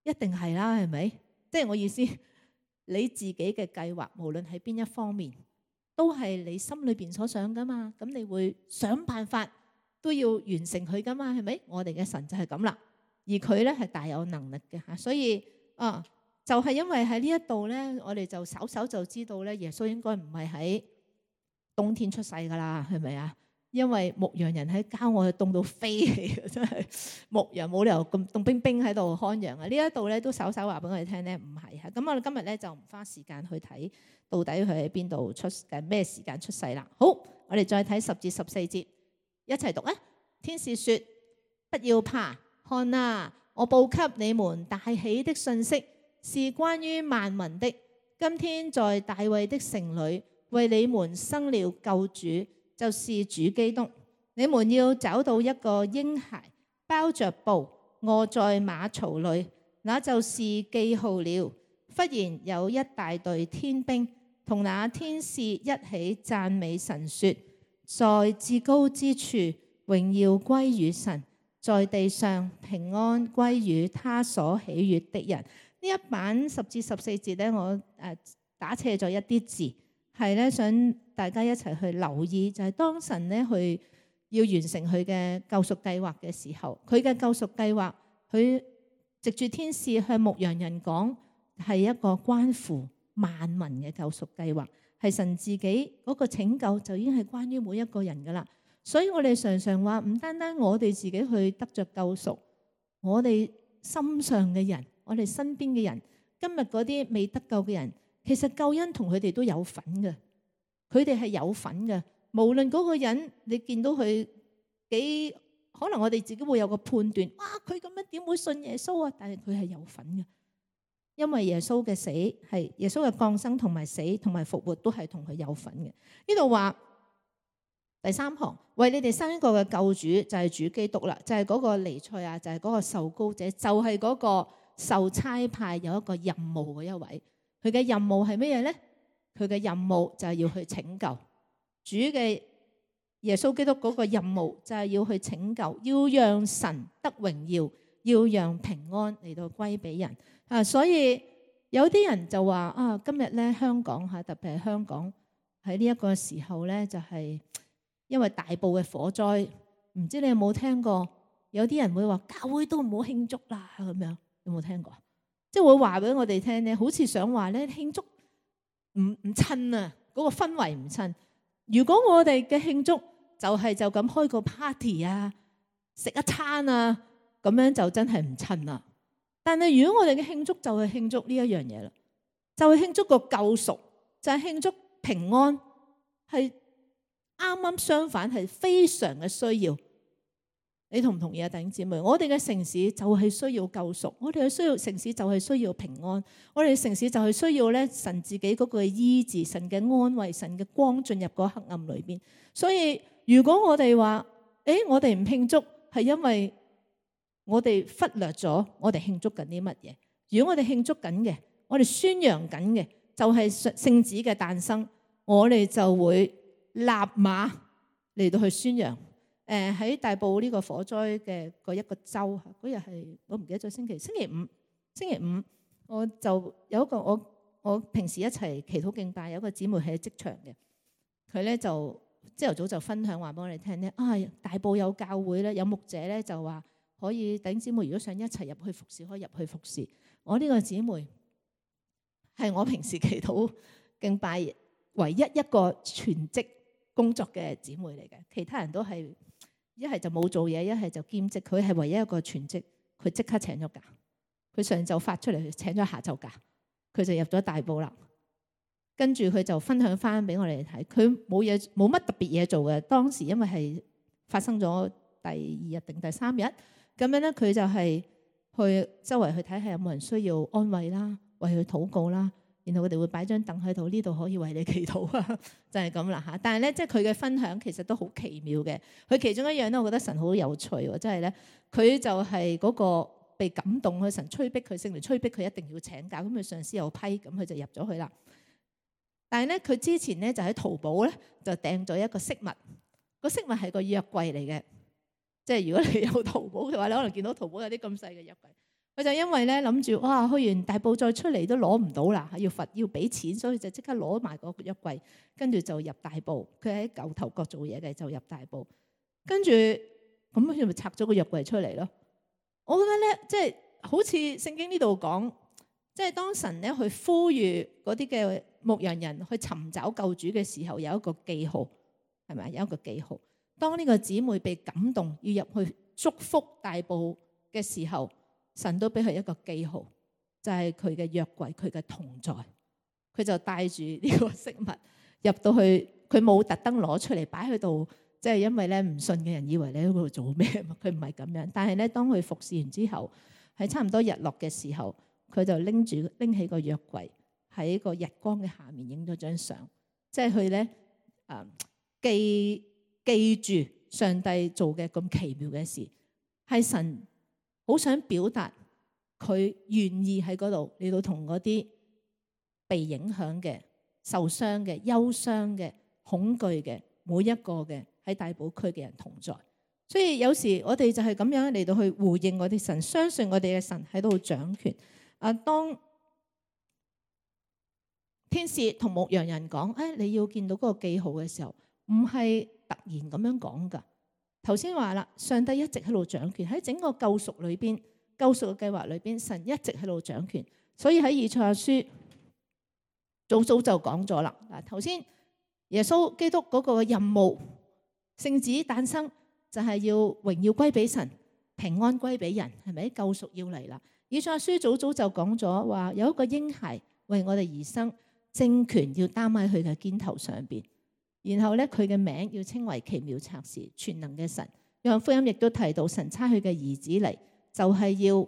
一定係啦，係咪？即係我意思，你自己嘅計劃無論喺邊一方面，都係你心裏邊所想噶嘛。咁你會想辦法都要完成佢噶嘛，係咪？我哋嘅神就係咁啦，而佢咧係大有能力嘅吓。所以就係因為喺呢一度咧，我哋就稍稍就知道咧，耶穌應該唔係喺冬天出世噶啦，係咪啊？因為牧羊人喺郊外凍到飛起，真係牧羊冇理由咁凍冰冰喺度看羊啊！呢一度咧都稍稍話俾我哋聽咧，唔係嚇。咁我哋今日咧就唔花時間去睇到底佢喺邊度出咩時間出世啦。好，我哋再睇10至14節，一齊讀啊！天使說：不要怕，看啊，我報給你們大喜的信息，是關於萬民的。今天在大衛的城裏，為你們生了救主，就是主基督。你們要找到一個嬰孩，包着布，臥在馬槽裏，那就是記號了。忽然有一大隊天兵同那天使一起讚美神，說：在至高之處榮耀歸於神，在地上平安歸於他所喜悅的人。呢一版10至14節咧，我打斜咗一啲字，係咧想大家一齊去留意，就係當神咧去要完成佢嘅救贖計劃嘅時候，佢嘅救贖計劃，佢藉住天使向牧羊人講，係一個關乎萬民嘅救贖計劃，係神自己嗰個拯救就已經係關於每一個人噶啦。所以我哋常常話，唔單單我哋自己去得着救贖，我哋心上嘅人，我哋身邊嘅人，今日嗰啲未得救嘅人，其實救恩同佢哋都有份嘅，佢哋係有份嘅。無論嗰個人你見到佢幾，可能我哋自己會有個判斷，哇，佢咁樣點會信耶穌啊？但係佢係有份嘅，因為耶穌嘅死係耶穌嘅降生同埋死同埋復活都係同佢有份嘅。呢度話第3行，為你哋生一個嘅救主，就係主基督啦，就係嗰個彌賽亞，就係嗰個受膏者，就係嗰個受差派有一個任務嘅一位。佢嘅任務係乜嘢咧？佢嘅任務就係要去拯救。主嘅耶穌基督嗰個任務就係要去拯救，要讓神得榮耀，要讓平安嚟到歸俾人啊！所以有啲人就話啊，今日咧香港吓，特別係香港喺呢一個時候咧，就係因為大埔嘅火災，唔知你有冇聽過？有啲人會話教會都唔好慶祝啦，咁樣有冇聽過？即係會話俾我哋聽咧，好似想話咧慶祝唔襯啊，嗰個氛圍唔襯。如果我哋嘅慶祝就咁開個 party 啊，食一餐啊，咁樣就真係唔襯啦。但係如果我哋嘅慶祝就係慶祝呢一樣嘢啦，就係慶祝個救贖，就係慶祝平安，係啱啱相反，係非常嘅需要。你同唔同意啊，弟兄姊妹？我哋嘅城市就係需要救贖，我哋嘅城市就係需要平安，我哋嘅城市就係需要咧神自己嗰個醫治，神嘅安慰，神嘅光進入嗰黑暗裏邊。所以如果我哋話，我哋唔慶祝，係因為我哋忽略咗我哋慶祝緊啲乜嘢。如果我哋慶祝緊嘅，我哋宣揚緊嘅就係聖子嘅誕生，我哋就會立馬嚟到去宣揚。喺大埔呢個火災嘅嗰一個週，嗰日係我唔記得咗星期五，我就有一個我平時一齊祈禱敬拜，有一個姊妹喺職場嘅，佢咧就朝頭早就分享話俾我哋聽咧，大埔有教會咧，有牧者咧就話可以弟兄姊妹如果想一齊入去服侍，可以入去服侍。我呢個姊妹係我平時祈禱敬拜唯一一個全職工作嘅姊妹嚟嘅，其他人都係一係就冇做嘢，一係就兼職。佢係唯一一個全職，佢即刻請咗假。佢上晝發出嚟，請咗下晝假，佢就入咗大埔啦。跟住佢就分享翻俾我哋睇，佢冇乜特別嘢做嘅。當時因為係發生咗第2日定第3日，咁樣咧佢就係去周圍去睇下有冇人需要安慰啦，為佢禱告啦。然後佢哋會擺張凳喺度，呢度可以為你祈禱啊，就係咁啦嚇。但係咧，即係佢嘅分享其實都好奇妙嘅。佢其中一樣咧，我覺得神好有趣喎，即係咧，佢就係嗰個被感動，佢神催逼佢，聖靈催逼佢一定要請假，咁佢上司又批，咁佢就入咗去啦。但係咧，佢之前咧就喺淘寶咧就訂咗一個飾物，個飾物係個約櫃嚟嘅。即係如果你有淘寶嘅話，你可能見到淘寶有啲咁細嘅約櫃。佢就因為咧諗住哇，去完大埔再出嚟都攞唔到啦，要俾錢，所以就即刻攞埋個約櫃，跟住就入大埔。佢喺牛頭角做嘢嘅，就入大埔。跟住咁佢咪拆咗個約櫃出嚟咯。我覺得咧，即係好似聖經呢度講，即係當神咧去呼籲嗰啲嘅牧羊人去尋找救主嘅時候，有一個記號，係咪？有一個記號。當呢個姊妹被感動要入去祝福大埔嘅時候，神都俾佢一個記號，就係佢嘅約櫃，佢嘅同在。佢就帶住呢個飾物入到去，佢冇特登攞出嚟擺喺度，即係因為咧唔信嘅人以為你喺嗰度做咩，佢唔係咁樣。但係咧，當佢服侍完之後，喺差唔多日落嘅時候，佢就拎起個約櫃喺個日光嘅下面影咗張相，即係佢咧記住上帝做嘅咁奇妙嘅事，係神好想表達佢願意喺嗰度嚟到同嗰啲被影響嘅、受傷嘅、憂傷嘅、恐懼嘅每一個嘅喺大埔區嘅人同在。所以有時我哋就係咁樣嚟到去回應我哋神，相信我哋嘅神喺度掌權。當天使同牧羊人講，你要見到嗰個記號嘅時候，唔係突然咁樣講噶。頭先話啦，上帝一直喺度掌權，喺整個救贖裏邊、救贖嘅計劃裏邊，神一直喺度掌權。所以喺以賽亞書早就講咗啦。嗱，頭先耶穌基督嗰個任務，聖子誕生就係要榮耀歸俾神，平安歸俾人，係咪？救贖要嚟啦。以賽亞書早就講咗話，有一個嬰孩為我哋而生，政權要擔喺佢嘅肩頭上邊。然後咧，佢嘅名要稱為奇妙策士、全能嘅神。約翰福音亦都提到，神差佢嘅兒子嚟，就係要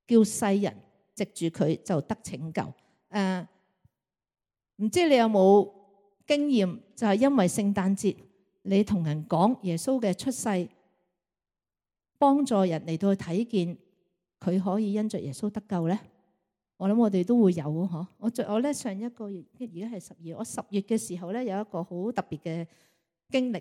叫世人藉住佢就得拯救。唔知你有冇經驗？就係因為聖誕節，你同人講耶穌嘅出世，幫助人嚟到去睇見佢可以因着耶穌得救咧。我諗我哋都會有嗬。我咧上一個月，而家係12月，我10月嘅時候咧有一個好特別嘅經歷。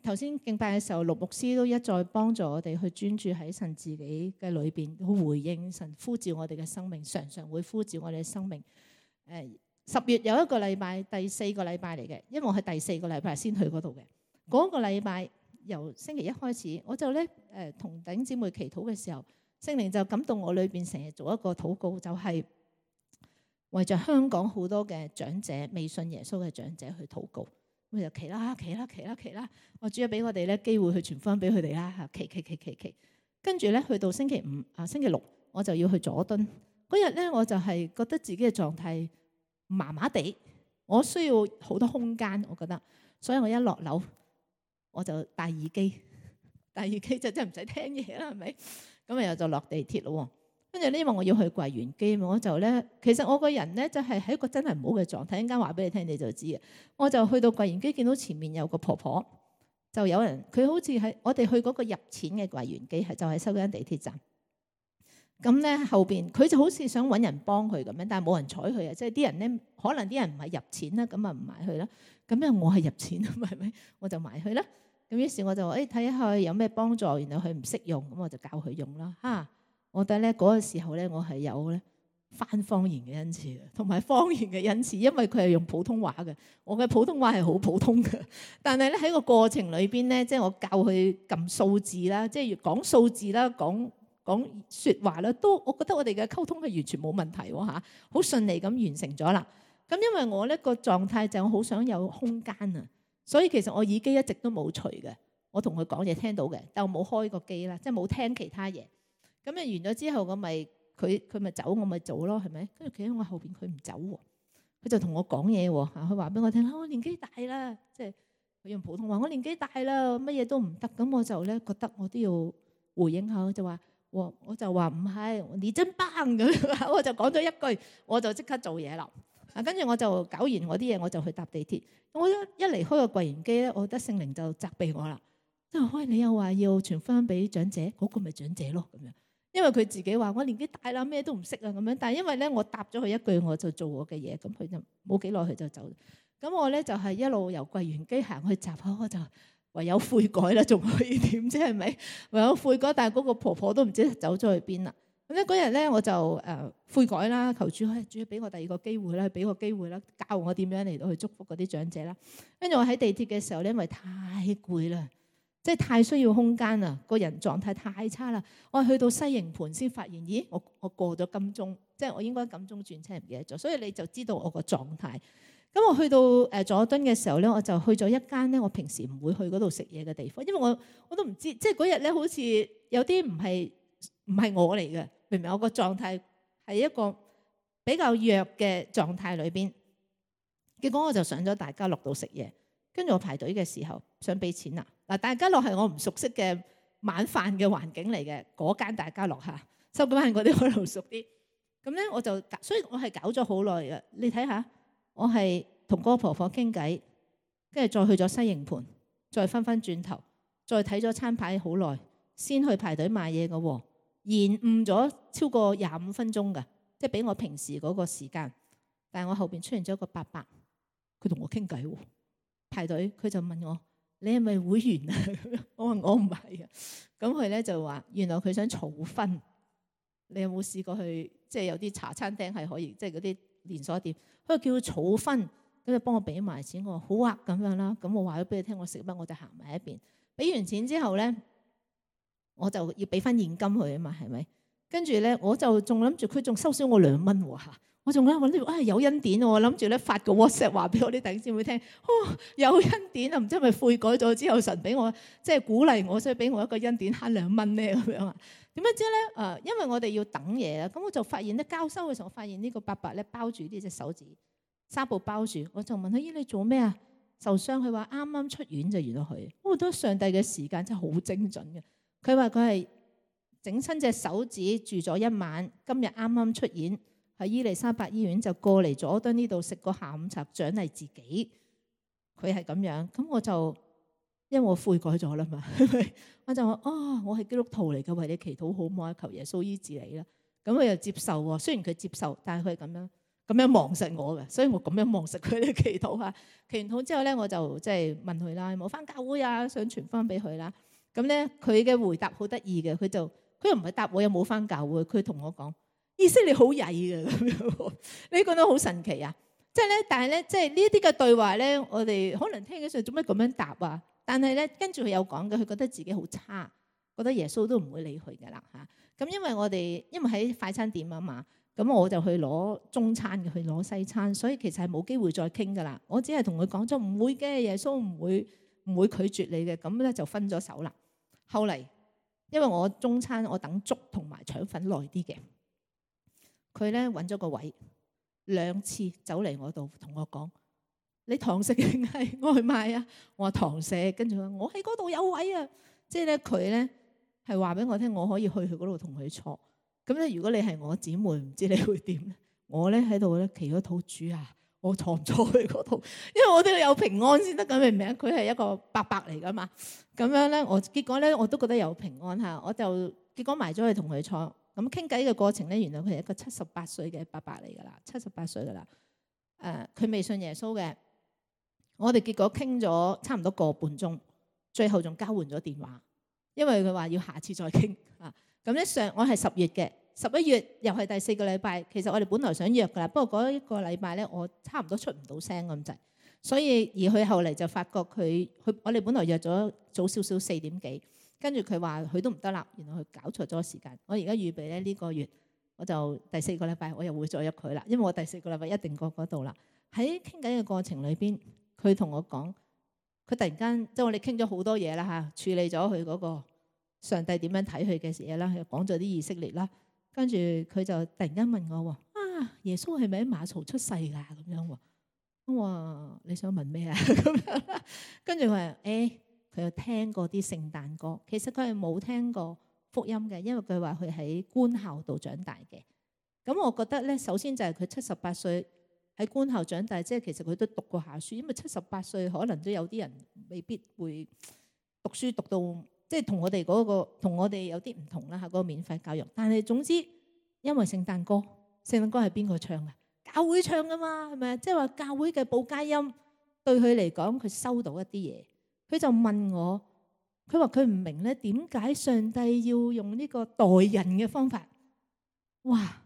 頭先敬拜嘅時候，陸牧師都一再幫助我哋去專注喺神自己嘅裏邊，去回應神呼召我哋嘅生命，常常會呼召我哋嘅生命。10月有一個禮拜，第4個禮拜嚟嘅，因為我係第4個禮拜先去嗰度嘅。嗰個禮拜由星期一開始，我就咧同弟兄姊妹祈禱嘅時候，聖靈就感動我裏邊成日做一個禱告，就係為着香港好多嘅長者未信耶穌嘅長者去禱告。咁就祈啦，我主要俾我哋咧機會去傳福音俾佢哋啦。祈，跟住咧去到星期六我就要去佐敦。嗰日咧我就係覺得自己嘅狀態麻麻地，我需要好多空間，我覺得，所以我一落樓我就戴耳機就真係唔使聽嘢啦，係咪？咁啊又就落地鐵咯。跟住呢，因為我要去櫃員機，我就咧，其實我個人咧就係喺一個真係唔好嘅狀態。一陣間話俾你聽，你就知嘅。我就去到櫃員機，見到前面有個婆婆，就有人，佢好似喺我哋去嗰個入錢嘅櫃員機，就係收緊地鐵站。咁咧後邊佢就好似想揾人幫佢咁樣，但係冇人睬佢啊！即係啲人咧，可能啲人唔係入錢啦，咁啊唔埋去啦。咁因為我係入錢啊嘛，係咪？我就埋去啦。咁於是我就話睇下有咩幫助，然後佢唔識用，咁我就教佢用啦。我覺得咧嗰個時候咧，我係有咧翻方言嘅恩賜，同埋方言嘅恩賜，因為佢係用普通話嘅。我嘅普通話係好普通嘅，但係咧喺個過程裏邊咧，即係我教佢撳數字啦，即係講數字啦，講説話啦，都我覺得我哋嘅溝通係完全冇問題喎嚇，好順利咁完成咗啦。咁因為我呢個狀態就好想有空間啊，所以其實我耳機一直都冇除嘅。我同佢講嘢聽到嘅，但我冇開個機啦，即係冇聽其他嘢。咁完咗之後，我咪佢咪走，我咪做咯，係咪？跟住企喺我後邊，佢唔走喎，佢就同我講嘢喎。佢話俾我聽，我年紀大啦，即係佢用普通話，我年紀大啦，乜嘢都唔得。咁我就咧覺得我都要回應下，我就話唔係，你真棒咁。我就講咗一句，我就即刻做嘢啦。跟住我就搞完我啲嘢，我就去搭地鐵。我一離開個櫃員機咧，我覺得聖靈就責備我啦。即係喂，你又話要傳福音俾長者，嗰個咪長者咯咁樣。因為佢自己話我年紀大啦，咩都唔識啊咁樣。但係因為咧，我答咗佢一句，我就做我嘅嘢，咁佢就冇幾耐佢就走。咁我咧就係一路由櫃員機行去閘口，我就唯有悔改啦，仲可以點啫？係咪？唯有悔改，但係嗰個婆婆都唔知走咗去邊啦。咁咧嗰日咧我就悔改啦，求主主俾我第二個機會啦，俾個機會啦，教我點樣嚟到去祝福嗰啲長者啦。跟住我喺地鐵嘅時候咧，因為太攰啦，即係太需要空間啦，個人狀態太差啦。我去到西營盤先發現，咦，我過咗金鐘，即係我應該金鐘轉車唔記得咗，所以你就知道我個狀態。咁我去到佐敦嘅時候咧，我就去咗一間咧我平時唔會去嗰度食嘢嘅地方，因為我都唔知，即係嗰日咧好似有啲唔係我嚟嘅，明唔明？我個狀態係一個比較弱嘅狀態裏邊，結果我就上咗大家樂度食嘢，跟住我排隊嘅時候想俾錢啦。嗱，大家樂係我唔熟悉嘅晚飯嘅環境嚟嘅，嗰間大家樂嚇，收緊嗰啲可能熟啲。咁咧我就，所以我係搞咗好耐嘅。你睇下，我係同嗰個婆婆傾偈，跟住再去咗西營盤，再翻轉頭，再睇咗餐牌好耐，先去排隊買嘢嘅喎，延誤咗超過25分鐘嘅，即係比我平時嗰個時間。但係我後邊出現咗一個伯伯，佢同我傾偈喎，排隊，佢就問我：你係咪會員啊？我話我唔係啊。咁佢咧就話：原來佢想儲分。你有冇試過去？即係有啲茶餐廳係可以，即係嗰啲連鎖店，佢叫佢儲分，咁就幫我俾埋錢。我話好啊，咁樣啦。咁我話咗俾你聽，我食乜我就行埋一邊。俾完錢之後咧，我就要俾翻現金佢啊嘛，係咪？跟住咧，我就仲諗住佢仲收少我2蚊喎嚇。我仲諗住有恩典喎，我諗住咧發個 WhatsApp 話俾我啲弟兄姊妹聽，有恩典啊！唔知係咪悔改咗之後神俾我即係鼓勵我，所以俾我一個恩典慳2蚊咧咁樣啊？點樣知咧？因為我哋要等嘢啦，咁我就發現咧交收嘅時候，我發現呢個伯伯咧包住呢隻手指紗布包住，我就問佢：咦，你做咩啊？受傷？佢話啱啱出院就原來佢。我覺得上帝嘅時間真係好精準嘅。佢話佢係整親隻手指住咗1晚，今日啱啱出院。喺伊利沙伯醫院就過嚟佐敦呢度食個下午茶獎勵自己，佢係咁樣。咁我就因為我悔改咗啦嘛，我就話我係基督徒嚟嘅，為你祈禱好唔好啊？求耶穌醫治你啦。咁佢又接受喎，雖然佢接受，但係佢係咁樣望實我嘅，所以我咁樣望實佢哋祈禱下。祈完禱之後咧，我就即係問佢啦，有冇翻教會啊？想傳翻俾佢啦。咁咧佢嘅回答好得意嘅，佢又唔係答我有冇翻教會，佢同我講：意思你好曳嘅咁樣，你覺得好神奇啊！即係咧，但係咧，即係呢啲嘅對話咧，我哋可能聽起上做咩咁樣答啊？但係咧，跟住佢有講嘅，佢覺得自己好差，覺得耶穌都唔會理佢㗎啦嚇。咁因為喺快餐店啊嘛，咁我就去攞中餐嘅，去攞西餐，所以其實係冇機會再傾㗎啦。我只係同佢講咗唔會嘅，耶穌唔會拒絕你嘅，咁咧就分咗手啦。後嚟因為我中餐我等粥同埋腸粉耐啲嘅。佢咧揾咗個位，2次走嚟我度同我講：你堂食定係外賣啊？我話堂食，跟住我喺嗰度有位啊！即係咧佢咧係話俾我聽，我可以去佢嗰度同佢坐。咁咧如果你係我姊妹，唔知你會點咧？我咧喺度咧祈咗禱，主啊，我坐唔坐去嗰度？因為我都要有平安先得㗎，明唔明啊？佢係一個伯伯嚟㗎嘛。咁樣咧，結果咧我都覺得有平安嚇，我就結果埋咗去同佢坐。咁傾偈嘅過程咧，原來佢係一個78歲嘅伯伯嚟㗎啦，78歲㗎啦。佢未信耶穌嘅。我哋結果傾咗差唔多個半鐘，最後仲交換咗電話，因為佢話要下次再傾啊。咁咧我係10月嘅，11月又係第4個禮拜。其實我哋本來想約㗎啦，不過嗰一個禮拜咧，我差唔多出唔到聲咁滯，所以而佢後嚟就發覺我哋本來約咗早少少4點幾。跟住佢話佢都唔得啦，原來佢搞錯咗時間。我而家預備咧呢個月，我就第4個禮拜我又會再約佢啦，因為我第4個禮拜一定過嗰度啦。喺傾偈嘅過程裏邊，佢同我講：佢突然間即係我哋傾咗好多嘢啦嚇，處理咗佢嗰個上帝點樣睇佢嘅嘢啦，又講咗啲以色列啦，跟住佢就突然間問我喎，耶穌係咪喺馬槽出世㗎咁樣喎？我話你想問咩啊？咁樣啦，跟住佢話佢有聽過啲聖誕歌，其實佢係冇聽過福音嘅，因為佢話佢喺官校度長大嘅。咁我覺得咧，首先就係佢78歲喺官校長大，即係其實佢都讀過下書，因為78歲可能都有啲人未必會讀書讀到即係同我哋有啲唔同啦嚇，嗰個免費教育。但係總之，因為聖誕歌係邊個唱啊？教會唱噶嘛，係咪？即係話教會嘅報佳音對佢嚟講，佢收到一啲嘢，佢就問我，佢話佢唔明咧，點解上帝要用呢個代人嘅方法？哇！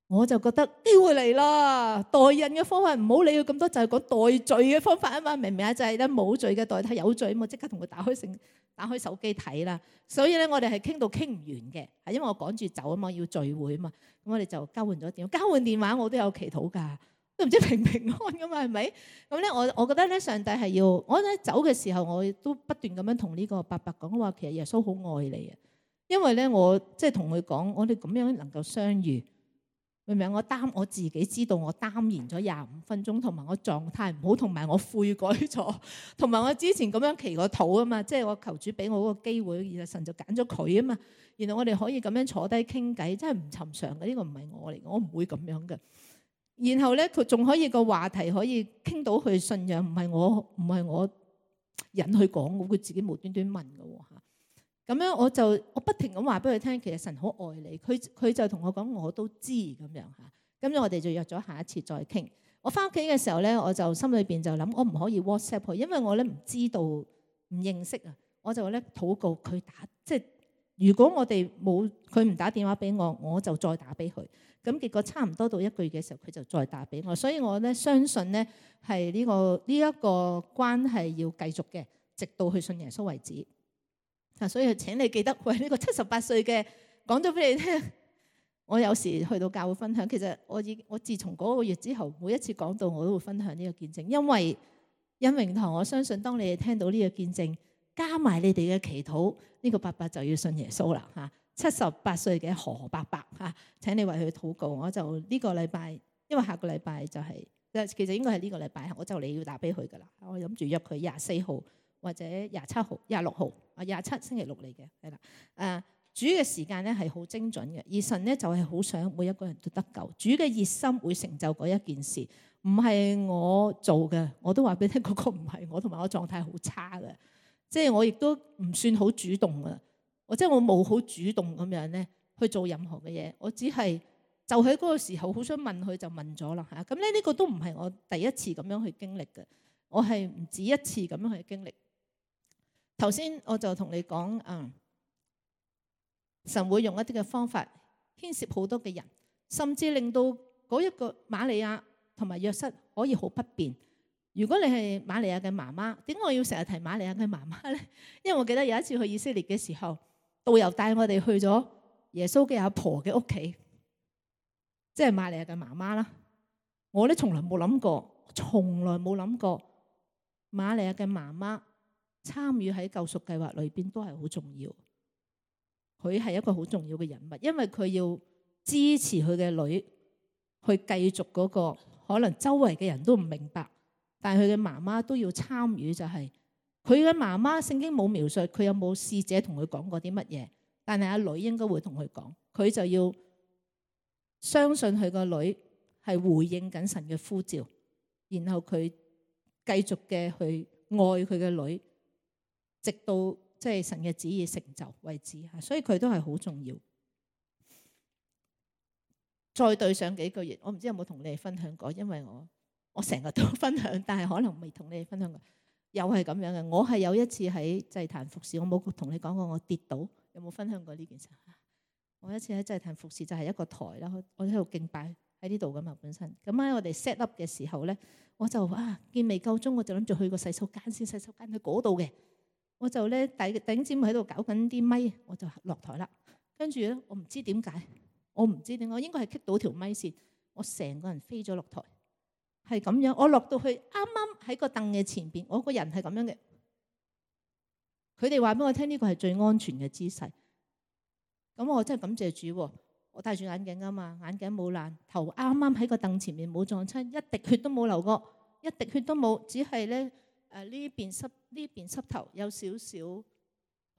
我就覺得機會嚟啦，代人嘅方法唔好理佢咁多，就係講代罪嘅方法啊嘛，明唔明啊？就係咧冇罪嘅代替有罪，我即刻同佢打開手機睇啦。所以咧，我哋係傾到傾唔完嘅，係因為我趕住走啊嘛，要聚會啊嘛，咁我哋就交換咗電話，交換電話我都有祈禱㗎，都唔知平唔平安噶嘛，係咪？咁咧，我覺得咧，上帝係要我咧走嘅時候，我都不斷咁樣同呢個伯伯講話，其實耶穌好愛你啊，因為咧我即係同佢講，我哋咁樣能夠相遇。明唔明？我自己知道我耽延咗25分鐘，同埋我狀態唔好，同埋我悔改咗，同埋我之前咁樣祈過禱啊嘛，即係我求主俾我嗰個機會，然後神就揀咗佢啊嘛，然後我哋可以咁樣坐低傾偈，真係唔尋常嘅，呢個唔係我嚟，我唔會咁樣嘅。然後咧，佢仲可以個話題可以傾到佢信仰，唔係我引佢講，佢自己無端端問嘅喎。咁樣我不停咁話俾佢聽，其實神好愛你。佢就同我講，我都知咁樣嚇。咁樣我哋就約咗下一次再傾。我翻屋企嘅時候咧，我就心裏邊就諗，我唔可以 WhatsApp 佢，因為我咧唔知道唔認識啊。我就咧禱告佢打，即係如果我哋冇佢唔打電話俾我，我就再打俾佢。咁結果差唔多到1個月嘅時候，佢就再打俾我。所以我咧相信咧係呢一個關係要繼續嘅，直到去信耶穌為止。所以請你記得，喂，呢個78歲嘅講咗俾你聽。我有時去到教會分享，其實我自從嗰個月之後，每一次講到我都會分享呢個見證，因為恩榮堂，我相信當你哋聽到呢個見證，加埋你哋嘅祈禱，呢個伯伯就要信耶穌啦嚇。78歲嘅何伯伯嚇，請你為佢禱告。我就呢個禮拜，因為下個禮拜就係其實應該係呢個禮拜，我就嚟要打俾佢噶啦。我諗住約佢24號。或者27號、26號啊，27星期六嚟嘅，係啦。主嘅時間咧係好精準嘅，而神咧就係好想每一個人都得救。主嘅熱心會成就嗰一件事，唔係我做嘅。我都話俾你聽，嗰個唔係我，同埋我狀態好差嘅，即係我亦都唔算好主動嘅。我冇好主動咁樣咧去做任何嘅嘢，我只係就喺嗰個時候好想問佢就問咗啦嚇。咁咧呢個都唔係我第一次咁樣去經歷嘅，我係唔止一次咁樣去經歷。頭先我就同你講，神會用一啲嘅方法牽涉好多嘅人，甚至令到嗰一個瑪利亞同埋約瑟可以好不便。如果你係瑪利亞嘅媽媽，點解我要成日提瑪利亞嘅媽媽咧？因為我記得有一次去以色列嘅時候，導遊帶我哋去咗耶穌嘅阿婆嘅屋企，即係瑪利亞嘅媽媽啦。我咧從來冇諗過瑪利亞嘅媽媽參與喺救贖計劃裏邊都係好重要，佢係一個好重要嘅人物，因為佢要支持佢嘅女去繼續嗰個可能周圍嘅人都唔明白，但係佢嘅媽媽都要參與，就係佢嘅媽媽聖經冇描述佢有冇使者同佢講過啲乜嘢，但係阿女應該會同佢講，佢就要相信佢個女係回應緊神嘅呼召，然後佢繼續嘅去愛佢嘅女。直到即係神嘅旨意成就為止嚇，所以佢都係好重要。再對上幾個月，我唔知有冇同你哋分享過，因為我成日都分享，但係可能未同你哋分享過。又係咁樣嘅，我係有一次喺祭壇服侍，我冇同你講過我跌倒，有冇分享過呢件事？我一次喺祭壇服侍就係一個台啦，我喺度敬拜喺呢度噶嘛本身。咁喺我哋 set up 嘅時候咧，我就見未夠鐘，我就諗住去個洗手間先，洗手間喺嗰度嘅。我就咧頂尖喺度搞緊啲咪，我就落台啦。跟住咧，我唔知點解，我應該係棘到條咪線，我成個人飛咗落台，係咁樣，我落到去啱啱喺個凳嘅前邊，我個人係咁樣嘅。佢哋話俾我聽呢個係最安全嘅姿勢。咁我真係感謝主喎，我戴住眼鏡啊嘛，眼鏡冇爛，頭啱啱喺個凳前面冇撞親，一滴血都冇流過，一滴血都冇，只係咧呢邊膝頭有少少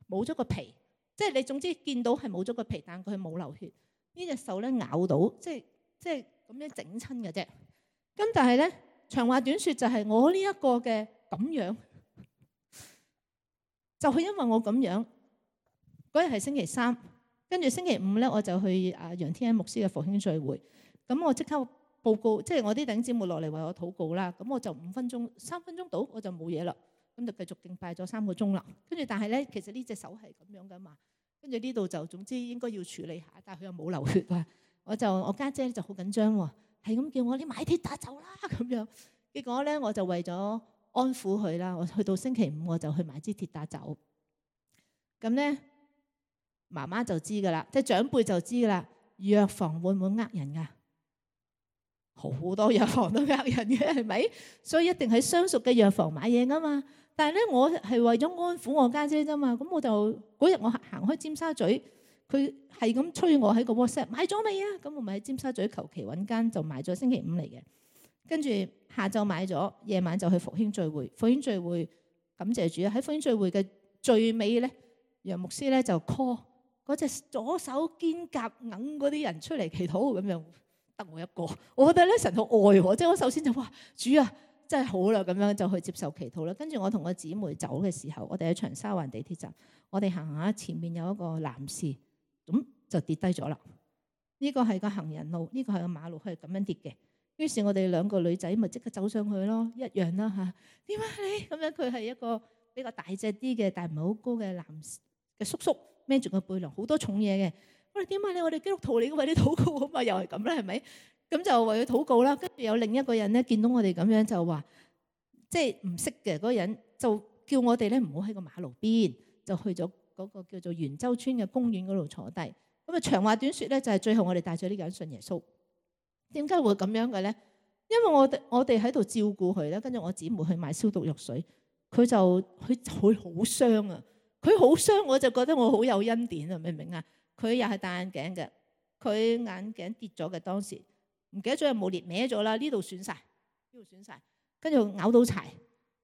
冇咗個皮，即係你總之見到係冇咗個皮，但佢冇流血。呢隻手咧咬到，即係咁樣整親嘅啫。咁但係咧長話短説就係我呢一個嘅咁樣，就係因為我咁樣嗰日係星期三。跟住星期五咧，我就去楊天恩牧師嘅復興聚會。咁我即刻報告，即係我啲弟兄姊妹落嚟為我禱告啦。咁我就3分鐘到，我就冇嘢啦。咁就繼續敬拜咗3個鐘啦。跟住但係咧，其實呢隻手係咁樣噶嘛。跟住呢度就總之應該要處理下，但係佢又冇流血啊。我家姐就好緊張喎，係咁叫我你買鐵打走啦咁樣。結果咧，我就為咗安撫佢啦，我去到星期五我就去買支鐵打走。咁咧。媽媽就知噶啦，即係長輩就知噶啦。藥房會唔會呃人噶？好多藥房都呃人嘅，係咪？所以一定喺相熟嘅藥房買嘢噶嘛。但係咧，我係為咗安撫我家姐啫嘛。咁我就嗰日我行開尖沙咀，佢係咁催我喺個 WhatsApp 買咗未啊？咁我咪喺尖沙咀求其揾間就買咗，星期五嚟嘅。跟住下晝買咗，夜晚就去復興聚會。復興聚會感謝主喺復興聚會嘅最尾咧，楊牧師咧就 call。嗰隻左手肩胛硬嗰啲人出嚟祈禱咁樣，得我一個。我覺得咧神好愛我，即係我首先就哇主啊，真係好啦，咁樣就去接受祈禱啦。跟住我同個姊妹走嘅時候，我哋喺長沙灣地鐵站，我哋行下前面有一個男士，咁就跌低咗啦。呢個係個行人路，呢個係個馬路，佢係咁樣跌嘅。於是我哋兩個女仔咪即刻走上去咯，一樣啦嚇。點解你咁樣？佢係一個比較大隻啲嘅，但係唔係好高嘅男嘅叔叔。孭住個背囊，好多重嘢嘅。我哋點解你我哋基督徒嚟嘅，為你禱告啊嘛，又係咁啦，係咪？咁就為佢禱告啦。跟住有另一個人咧，見到我哋咁樣就話，即係唔識嘅嗰個人就叫我哋咧唔好喺個馬路邊，就去咗嗰個叫做元洲村嘅公園嗰度坐低。咁啊長話短説咧，就係最後我哋帶咗呢個人信耶穌。點解會咁樣嘅咧？因為我哋喺度照顧佢咧，跟住我姊妹去買消毒藥水，佢好傷啊。佢好傷，我就覺得我好有恩典啊！明唔明啊？佢又係戴眼鏡嘅，佢眼鏡跌咗嘅，當時唔記得咗有冇裂歪咗啦，呢度損晒，呢度損晒，跟住咬到柴，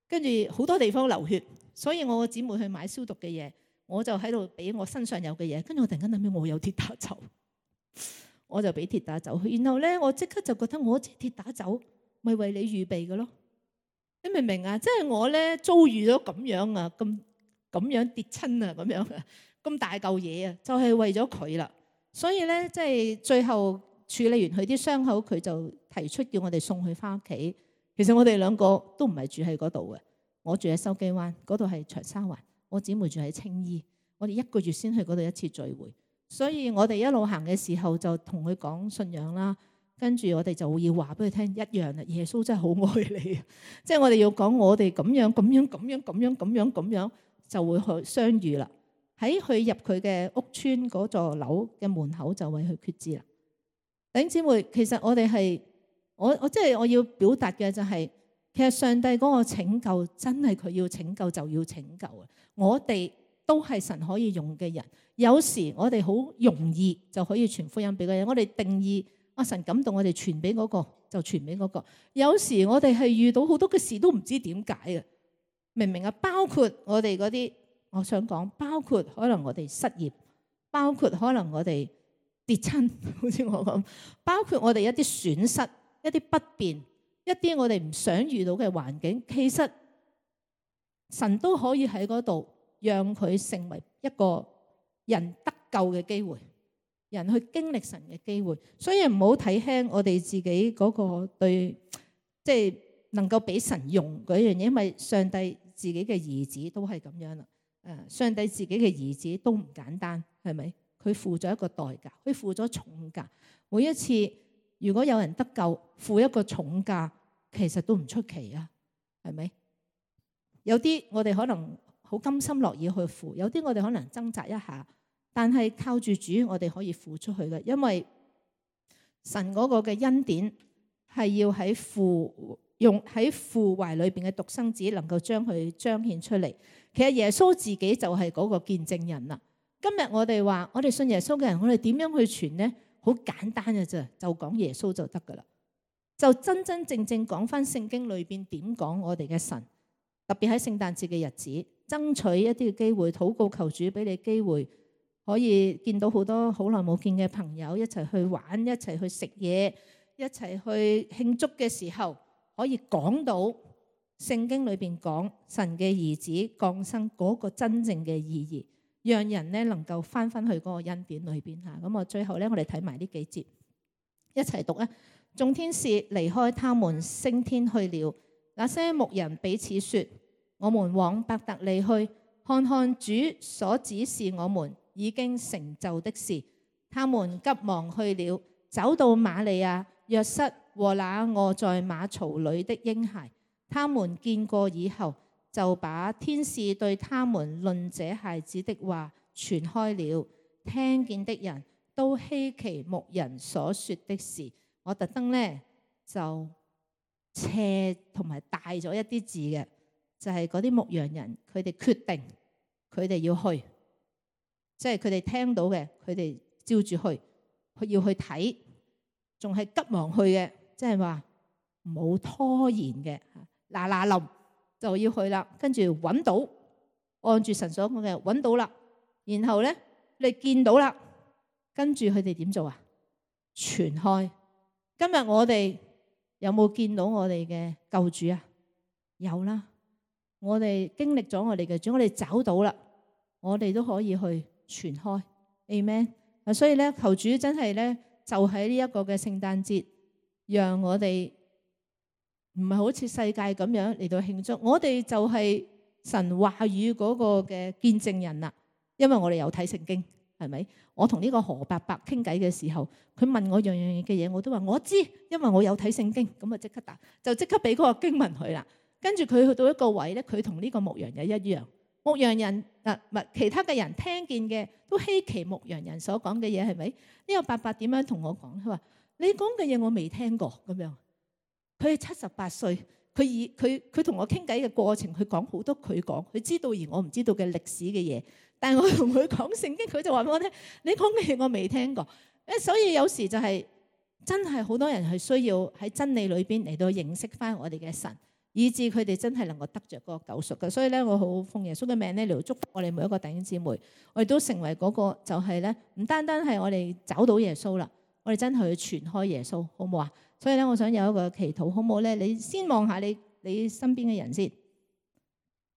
跟住好多地方流血，所以我個姊妹去買消毒嘅嘢，我就喺度俾我身上有嘅嘢，跟住我突然間諗起我有鐵打酒，我就俾鐵打酒，然後咧我即刻就覺得我支鐵打酒咪為你預備嘅咯，你明唔明啊？即係我咧遭遇咗咁樣啊，咁樣跌親啊，咁樣咁大嚿嘢啊，就係為咗佢啦。所以咧，即係最後處理完佢啲傷口，佢就提出叫我哋送佢翻屋企。其實我哋兩個都唔係住喺嗰度嘅，我住喺筲箕灣，嗰度係長沙灣，我姊妹住喺青衣。我哋1個月先去嗰度一次聚會，所以我哋一路行嘅時候就同佢講信仰啦。跟住我哋就要話俾佢聽一樣啦，耶穌真係好愛你啊！即係我哋要講我哋咁樣。就會去相遇啦。喺佢入佢嘅屋村嗰座樓嘅門口就為佢決志啦。弟兄姊妹，其實我哋係我即係我要表達嘅就係，其實上帝嗰個拯救真係佢要拯救就要拯救啊！我哋都係神可以用嘅人。有時我哋好容易就可以傳福音俾嗰人。我哋定義神感動我哋傳俾嗰個就傳俾嗰個。有時我哋係遇到好多嘅事都唔知點解啊！明唔明啊？包括我哋嗰啲，我想講，包括可能我哋失業，包括可能我哋跌親，好似我咁，包括我哋一啲損失、一啲不便、一啲我哋唔想遇到嘅環境，其實神都可以喺嗰度讓佢成為一個人得救嘅機會，人去經歷神嘅機會。所以唔好睇輕我哋自己嗰個對，即係能夠俾神用嗰樣嘢，因為上帝自己嘅兒子都係咁樣啦。上帝自己嘅兒子都唔簡單，係咪？佢付咗一個代價，佢付咗重價。每一次如果有人得救，付一個重價，其實都唔出奇啊，係咪？有啲我哋可能好甘心樂意去付，有啲我哋可能掙扎一下，但係靠住主，我哋可以付出去嘅，因為神嗰個嘅恩典係要喺父懷裏邊嘅獨生子能夠將佢彰顯出嚟。其實耶穌自己就係嗰個見證人啦。今日我哋話我哋信耶穌嘅人，我哋點樣去傳呢？好簡單嘅啫，就講耶穌就得噶啦。就真真正正講翻聖經裏邊點講我哋嘅神，特別喺聖誕節嘅日子，爭取一啲嘅機會，禱告求主俾你機會，可以見到好多好耐冇見嘅朋友，一齊去玩，一齊去食嘢，一齊去慶祝嘅時候，可以講到聖經裏邊講神嘅兒子降生嗰個真正嘅意義，讓人呢能夠翻返去嗰個恩典裏邊嚇。咁我最後呢，我哋睇埋呢幾節，一齊讀啊！眾天使離開他們升天去了，那些牧人彼此說：我們往伯特利去，看看主所指示我們已經成就的事。他們急忙去了，走到瑪利亞、約瑟和那臥在馬槽裏的嬰孩，他們見過以後，就把天使對他們論這孩子的話傳開了。聽見的人都稀奇牧人所說的事。我特登呢就斜同埋大咗一啲字嘅，就係嗰啲牧羊人，佢哋決定佢哋要去，即係佢哋聽到嘅，佢哋照住去，要去睇，仲係急忙去嘅，即係話冇拖延嘅，嗱嗱臨就要去啦。跟住揾到，按住神所講嘅揾到啦，然後呢你見到啦，跟住佢哋點做啊？傳開。今日我哋有冇見到我哋嘅救主啊？有啦，我哋經歷咗我哋嘅主，我哋找到啦，我哋都可以去傳開。Amen。所以咧，求主真係咧，就喺呢一個嘅聖誕節，讓我哋唔係好似世界咁樣嚟到慶祝，我哋就係神話語嗰個嘅見證人啦。因為我哋有睇聖經，係咪？我同呢個何伯伯傾偈嘅時候，佢問我樣樣嘅嘢，我都話我知，因為我有睇聖經，咁啊即刻答，就即刻俾嗰個經文佢啦。跟住佢去到一個位咧，佢同呢個牧羊人一樣，牧羊人其他嘅人聽見嘅都稀奇牧羊人所講嘅嘢，係咪？呢個伯伯點樣同我講？佢話你講嘅嘢我未聽過咁樣。佢係78歲，佢同我傾偈嘅過程，佢講好多佢知道而我唔知道嘅歷史嘅嘢。但係我同佢講聖經，佢就話俾我聽，你講嘅嘢我未聽過。所以有時就係真係好多人係需要喺真理裏邊嚟到認識翻我哋嘅神，以致佢哋真係能夠得着嗰個救贖嘅。所以咧，我好奉耶穌嘅命咧嚟到祝福我哋每一個弟兄姊妹，我哋都成為嗰個就係咧，唔單單係我哋找到耶穌啦，我哋真係去傳開耶穌，好唔好啊？所以咧，我想有一個祈禱，好唔好咧？你先望下你身邊嘅人先。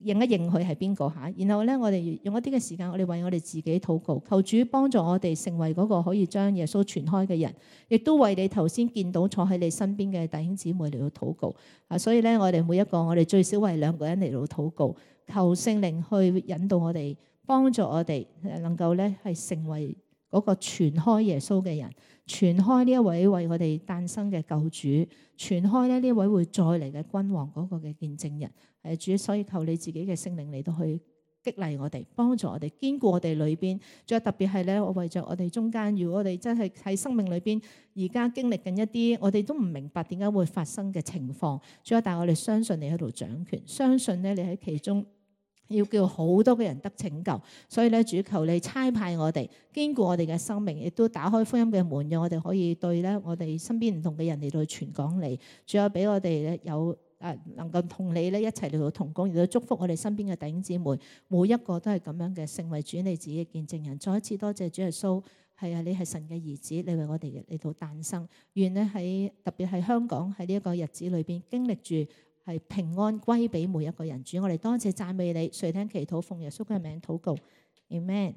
認一認佢係邊個嚇，然後咧我哋用一啲嘅時間，我哋為我哋自己禱告，求主幫助我哋成為嗰個可以將耶穌傳開嘅人，亦都為你頭先見到坐喺你身邊嘅弟兄姊妹嚟到禱告啊！所以咧，我哋每一個我哋最少為2個人嚟到禱告，求聖靈去引導我哋，幫助我哋能夠咧係成為嗰個傳開耶穌嘅人，傳開呢一位為我哋誕生嘅救主，傳開咧呢一位會再嚟嘅君王嗰個嘅見證人。主，所以求你自己嘅聖靈嚟到去激勵我哋，幫助我哋，堅固我哋裏邊。仲有特別係咧，我為着我哋中間，如果我哋真係喺生命裏邊而家經歷緊一啲我哋都唔明白點解會發生嘅情況，主啊，但係我哋相信你喺度掌權，相信咧你喺其中要叫好多嘅人得拯救。所以咧，主，求你差派我哋，堅固我哋嘅生命，亦都打開福音嘅門，讓我哋可以對咧我哋身邊唔同嘅人嚟到傳講你。主啊，俾我哋咧有能夠同你咧一齊嚟到同工，嚟到祝福我哋身邊嘅弟兄姊妹，每一個都係咁樣嘅，成為主你自己嘅見證人。再一次多謝主耶穌，係啊，你係神嘅兒子，你為我哋嚟到誕生。願呢喺特別係香港喺呢一個日子裏邊，經歷住係平安歸俾每一個人。主，我哋多謝讚美你，垂聽祈禱，奉耶穌嘅名禱告，Amen。